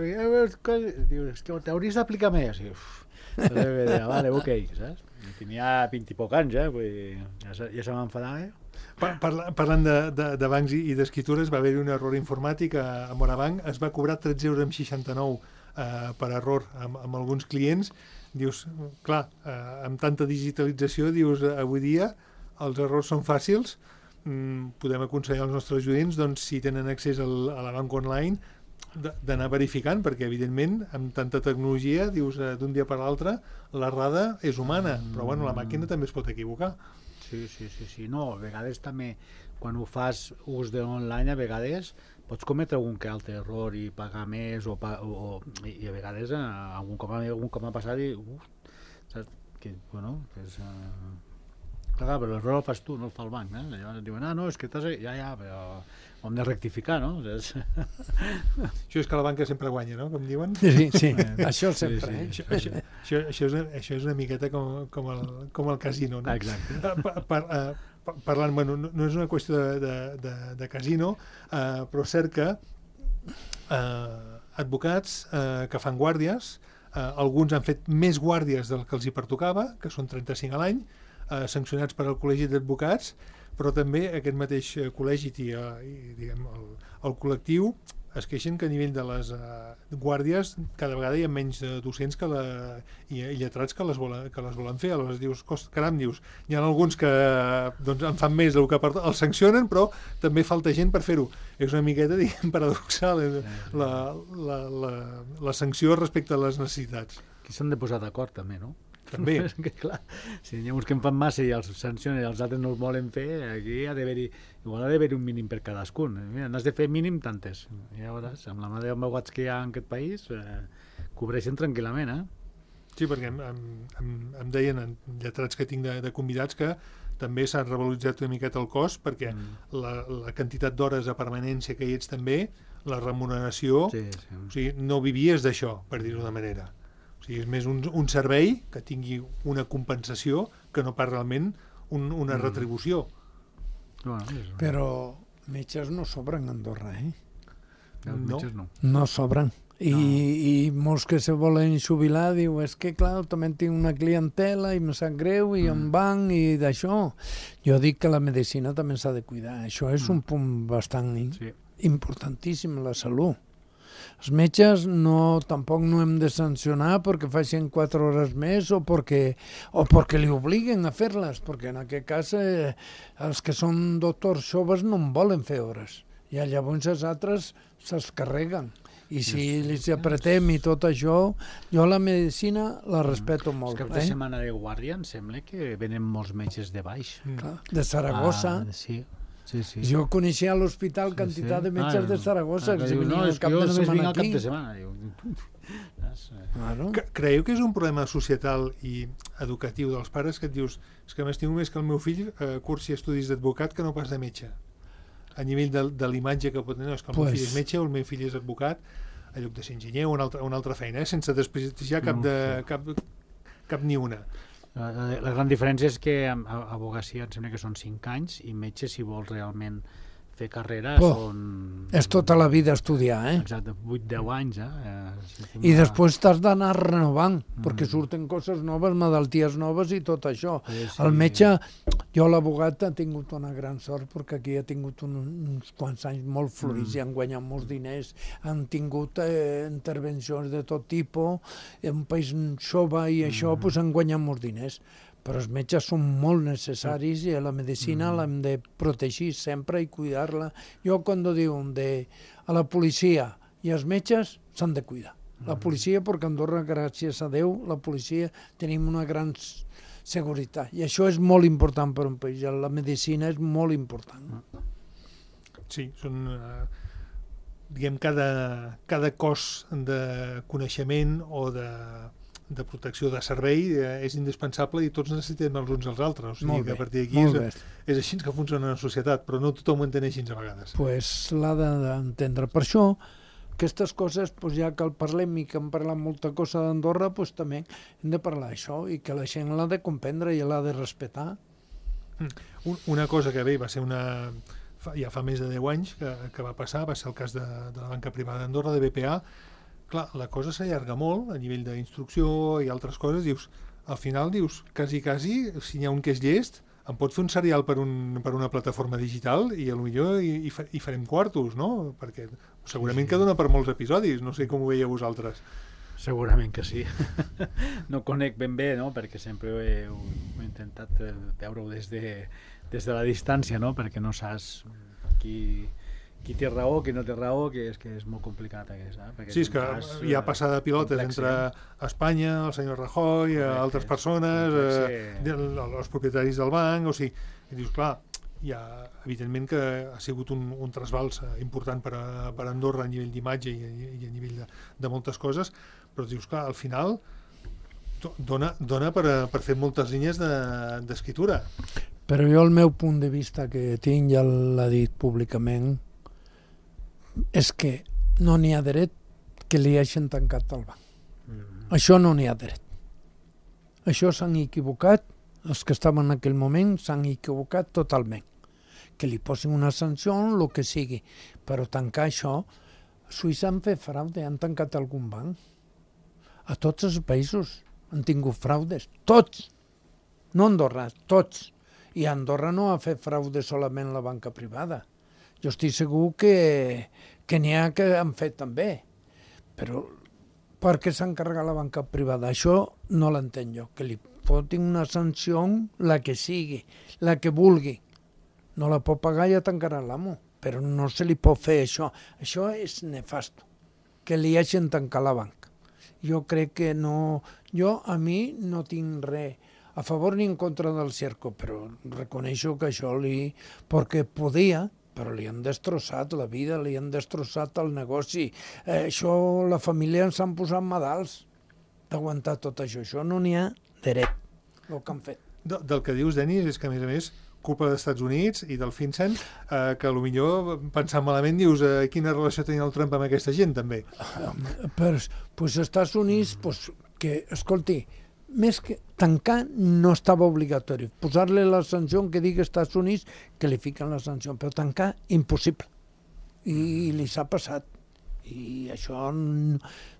Speaker 4: diu, és que t'hauries d'aplicar més. I, uf, deia, vale, ok, saps? Tenia vint i poc anys, eh? Vull dir, ja, ja se m'enfadava, eh?
Speaker 2: Parla, parlant de, de, de bancs i, i d'escritures, va haver-hi un error informàtic a, a Morabanc, es va cobrar tretze euros amb seixanta-nou eh, per error amb, amb alguns clients. Dius, clar, eh, amb tanta digitalització, dius, avui dia els errors són fàcils, mm, podem aconsellar als nostres oients, doncs, si tenen accés al, a la banca online, d'anar verificant, perquè evidentment amb tanta tecnologia, dius, eh, d'un dia per l'altre, l'errada és humana, però bueno, la màquina també es pot equivocar.
Speaker 4: Sí, sí, sí, sí. No, a vegades també, quan ho fas ús de l'online, a vegades pots cometre algun que altre error i pagar més, o, o, i, i a vegades algun cop, algun cop m'ha passat i, uf, saps, que, bueno, que és... Uh... Clar, però l'error el fas tu, no el fa el banc, eh? Llavors diuen, ah, no, és que t'has... Ja, ja, però ho hem de rectificar, no? És...
Speaker 2: Això és que la banca sempre guanya, no?, com diuen.
Speaker 3: Sí, sí, això sempre, eh?
Speaker 2: Això, això, això, això, és, una, això és una miqueta com, com, el, com el casino, no?
Speaker 4: Exacte.
Speaker 2: Per, per, uh, parlant, bueno, no, no és una qüestió de, de, de, de casino, uh, però és cert que uh, advocats uh, que fan guàrdies, uh, alguns han fet més guàrdies del que els hi pertocava, que són trenta-cinc a l'any, eh, sancionats per al Col·legi d'Advocats, però també aquest mateix col·legi i, i diguem, el, el col·lectiu es queixen que a nivell de les uh, guàrdies cada vegada hi ha menys uh, docents que la, i, i lletrats que les, volen, que les volen fer. Aleshores dius, cost, caram, dius, hi ha alguns que doncs, en fan més del que per, els sancionen, però també falta gent per fer-ho. És una miqueta, diguem, paradoxal eh, la, la, la, la sanció respecte a les necessitats.
Speaker 4: Aquí s'han de posar d'acord també, no?
Speaker 2: També.
Speaker 4: Que, clar, si n'hi ha uns que en fan massa i els sancionen i els altres no els volen fer, aquí ha d'haver-hi igual ha d'haver un mínim per cadascun. Mira, n'has de fer mínim tantes. I llavors, amb la mà de megawatts que hi ha en aquest país, eh, cobreixen tranquil·lament, eh?
Speaker 2: Sí, perquè em, em, em deien en lletrats que tinc de, de convidats que també s'ha revaloritzat una miqueta el cost perquè mm. la, la quantitat d'hores de permanència que hi ets també, la remuneració,
Speaker 4: sí, sí.
Speaker 2: O sigui, no vivies d'això, per dir-ho d'una manera. O sigui, és més un, un servei que tingui una compensació que no pas realment un, una mm. retribució.
Speaker 4: Bueno, és...
Speaker 3: Però metges no sobren a Andorra, eh?
Speaker 4: Els
Speaker 2: no.
Speaker 4: metges no.
Speaker 3: No sobren. I,
Speaker 4: No.
Speaker 3: i molts que se volen jubilar diu, és que clar, també tinc una clientela i em sap greu i mm. em van i d'això. Jo dic que la medicina també s'ha de cuidar. Això és mm. un punt bastant
Speaker 4: Sí.
Speaker 3: importantíssim, la salut. Els metges no, tampoc no hem de sancionar perquè facin quatre hores més o perquè, o perquè li obliguen a fer-les, perquè en aquest cas eh, els que són doctors joves no en volen fer hores. I llavors els altres se'ls carreguen. I si els apretem i tot això, jo la medicina la respeto molt.
Speaker 4: Els caps de
Speaker 3: Eh?
Speaker 4: setmana de guàrdia em sembla que venen molts metges de baix.
Speaker 3: Clar, de Saragossa.
Speaker 4: Ah, sí. Sí, sí.
Speaker 3: Jo coneixia a l'hospital quantitat de metges de Saragossa que si venien el cap de setmana aquí.
Speaker 4: cap de setmana. Diu,
Speaker 3: Claro.
Speaker 2: Que, creieu que és un problema societal i educatiu dels pares que et dius és que m'estimo més que el meu fill eh, cursi estudis d'advocat que no pas de metge? A nivell de, de l'imatge que pot tenir, no, és que el
Speaker 3: Pues...
Speaker 2: meu fill és metge o el meu fill és advocat, a lloc de ser enginyer o una altra, una altra feina, eh? Sense desprestigiar cap, de, cap, cap ni una.
Speaker 4: La, la gran diferència és que a, a abogacia em sembla que són cinc anys i metge, si vols realment fer carrera,
Speaker 3: oh,
Speaker 4: són...
Speaker 3: És tota la vida estudiar, eh?
Speaker 4: Exacte, vuit a deu anys, eh? eh
Speaker 3: I després t'has d'anar renovant, mm. perquè surten coses noves, malalties noves i tot això.
Speaker 4: Sí, sí.
Speaker 3: El metge, jo l'abogat ha tingut una gran sort perquè aquí ha tingut un, uns quants anys molt florits mm. i han guanyat molts diners, han tingut eh, intervencions de tot tipus, en un país jove i això, mm. pues, han guanyat molts diners. Però els metges són molt necessaris i la medicina mm. l'hem de protegir sempre i cuidar-la. Jo quan diuen de, a la policia i els metges s'han de cuidar. La policia, perquè a Andorra, gràcies a Déu, la policia tenim una gran seguretat. I això és molt important per un país. La medicina és molt important.
Speaker 2: Sí, són... Eh, diguem, cada, cada cos de coneixement o de... de protecció de servei eh, és indispensable i tots necessitem els uns als altres. O sigui, que a partir d'aquí és, és així que funciona la societat, però no tothom ho entén així a vegades.
Speaker 3: Pues l'ha d'entendre. Per això, aquestes coses, pues, ja que el parlem i que hem parlat molta cosa d'Andorra, pues, també hem de parlar d'això i que la gent l'ha de comprendre i l'ha de respetar.
Speaker 2: Mm. Una cosa que bé va ser una... Fa, ja fa més de deu anys que, que va passar, va ser el cas de, de la banca privada d'Andorra, de B P A. Clar, la cosa s'allarga molt a nivell d'instrucció i altres coses. Dius, al final dius, quasi, quasi, si n'hi ha un que és llest, em pot fer un serial per, un, per una plataforma digital i potser hi, hi, hi farem quartos, no? Perquè segurament sí, sí. que dona per molts episodis. No sé com ho veieu vosaltres.
Speaker 4: Segurament que sí. No conec ben bé, no? Perquè sempre he, he intentat veure-ho des, de, des de la distància, no? Perquè no saps qui... qui té raó, qui no té raó, que és que és molt complicat aquest, eh? Perquè
Speaker 2: sí, és que cas, hi ha passada de pilotes complex, entre Espanya, el senyor Rajoy, complex, altres persones, complex, eh, els propietaris del banc, o sigui, i dius, clar, hi ha, evidentment que ha sigut un, un trasbals important per a, per a Andorra a nivell d'imatge i, i a nivell de, de moltes coses, però dius, clar, al final dona, dona per, a, per fer moltes línies d'escriptura. De,
Speaker 3: però jo el meu punt de vista que tinc, ja l'ha dit públicament, és que no n'hi ha dret que li hagin tancat el banc. Mm. Això no n'hi ha dret. Això s'han equivocat, els que estaven en aquell moment s'han equivocat totalment. Que li posin una sanció, el que sigui. Però tancar això, a Suïssa han fet fraude, han tancat algun banc. A tots els països han tingut fraudes, tots. No Andorra, tots. I Andorra no ha fet fraude solament la banca privada. Jo estic segur que, que n'hi ha que han fet també. Però per què s'ha encarregat la banca privada? Això no l'entenc jo. Que li fotin una sanció, la que sigui, la que vulgui. No la pot pagar, ja tancarà l'amo. Però no se li pot fer això. Això és nefast. Que li hagin tancat la banca. Jo crec que no... Jo, a mi, no tinc res a favor ni en contra del Cerco, però reconeixo que això li... perquè podia, però li han destrossat la vida, li han destrossat el negoci. Eh, això, la família ens han posat medals d'aguantar tot això. Això no n'hi ha dret, el que han fet.
Speaker 2: De, del que dius, Denis, és que, a més a més, culpa dels Estats Units i del FinCEN, eh, que potser pensant malament dius eh, quina relació tenia el Trump amb aquesta gent, també.
Speaker 3: Però, doncs, Estats Units, pues, que, escolti, més que tancar no estava obligatori. Posar-li la sanció que digui Estats Units que li fiquen la sanció, però tancar, impossible. I li s'ha passat. I això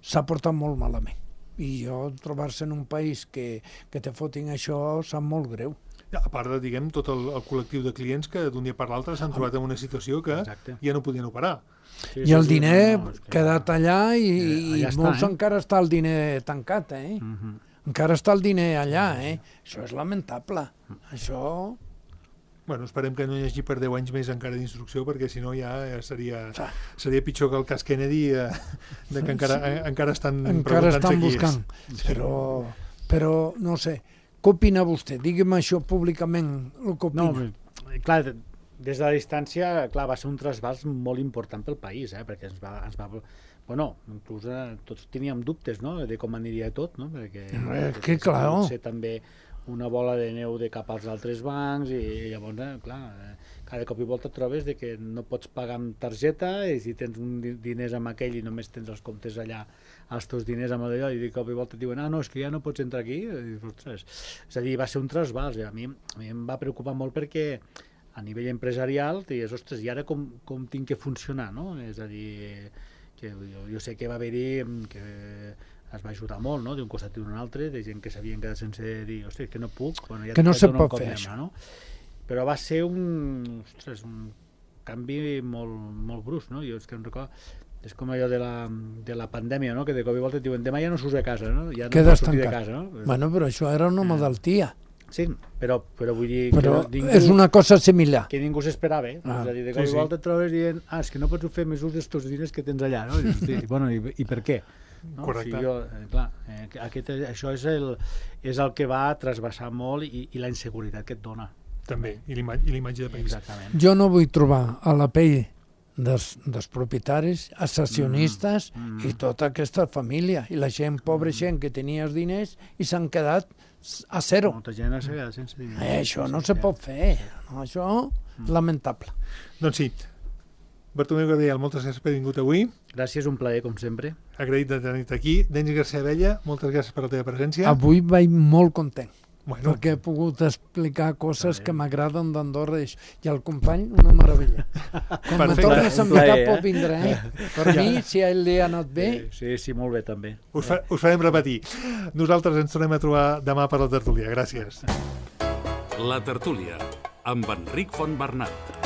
Speaker 3: s'ha portat molt malament. I jo trobar-se en un país que, que te fotin això sap molt greu.
Speaker 2: A part de, diguem, tot el, el col·lectiu de clients que d'un dia per l'altre s'han trobat en una situació que Exacte. ja no podien operar.
Speaker 3: Sí, I el sí, diner ha no, no, quedat allà i, eh, allà i molts està, eh? encara està el diner tancat, eh? Uh-huh. Encara està el diner allà, eh? Això és lamentable. Uh-huh. Això...
Speaker 2: Bueno, esperem que no hi hagi per deu anys més encara d'instrucció, perquè si no ja seria, seria pitjor que el cas Kennedy, eh, de que encara, sí. encara estan
Speaker 3: encara estan buscant. Però, però, no sé, què opina vostè? Digue'm això públicament, el que opina.
Speaker 4: No, clar, des de la distància, clar, va ser un trasbals molt important pel país, eh, perquè ens va... Ens va bueno, inclús eh, tots teníem dubtes, no?, de com aniria tot, no?, perquè...
Speaker 3: Eh, que clar,
Speaker 4: no? Ser també una bola de neu de cap als altres bancs i, i llavors, eh, clar, eh, cada cop i volta et trobes de que no pots pagar amb targeta i si tens un diners amb aquell i només tens els comptes allà, els teus diners amb allò, i de cop i volta et diuen, ah, no, és que ja no pots entrar aquí. I, ostres, és a dir, va ser un trasbals. A mi, a mi em va preocupar molt perquè a nivell empresarial deies, ostres, i ara com, com tinc que funcionar, no? És a dir, que jo, jo sé que va haver-hi que es va ajudar molt, no?, d'un costat i d'un altre, de gent que s'havien quedat sense dir, ostres, que no puc, bueno, ja
Speaker 3: que no se pot fer això.
Speaker 4: No? Però va ser un, ostres, un canvi molt, molt brusc, no? Jo és que em recordo, és com allò de la, de la pandèmia, no?, que de cop i volta et diuen, demà ja no surts a casa, no? Ja no
Speaker 3: Quedes
Speaker 4: pots sortir
Speaker 3: tancat.
Speaker 4: de casa, no?
Speaker 3: Bueno, però això era una malaltia.
Speaker 4: Sí, però, però vull dir...
Speaker 3: Però
Speaker 4: que ningú,
Speaker 3: és una cosa similar.
Speaker 4: Que ningú s'esperava, eh? Ah, és a dir, de cop sí, i volta sí. et trobes dient, ah, és que no pots fer més ús dels teus diners que tens allà, no? I, i, bueno, i, i per què? No?
Speaker 2: Correcte.
Speaker 4: O sigui, jo, eh, clar, eh, aquest, això és el, és el que va trasbassar molt i, i la inseguretat que et dona.
Speaker 2: També, i l'imatge de país.
Speaker 4: Exactament.
Speaker 3: Jo no vull trobar a la pell dels, dels propietaris, accionistes mm, mm. i tota aquesta família, i la gent, pobra mm. gent que tenia els diners i s'han quedat a zero.
Speaker 4: Molta gent s'ha quedat sense diners.
Speaker 3: Eh, això no se pot fer, no, això mm. lamentable.
Speaker 2: Doncs sí, Bartomeu Gabriel, moltes gràcies per haver vingut avui.
Speaker 4: Gràcies, un plaer, com sempre.
Speaker 2: Agraït de tenir-te aquí. Denis García Abella, moltes gràcies per la teva presència.
Speaker 3: Avui vaig molt content,
Speaker 2: bueno. perquè
Speaker 3: he pogut explicar coses que m'agraden d'Andorra, i el company, una meravella. Quan me tornes a invitar eh? pot vindre, eh? Per ja. mi, si a ell li ha anat bé...
Speaker 4: Sí, sí, molt bé, també.
Speaker 2: Us, fa, us farem repetir. Nosaltres ens tornem a trobar demà per la tertúlia. Gràcies.
Speaker 1: La tertúlia, amb Enric Fontbernat.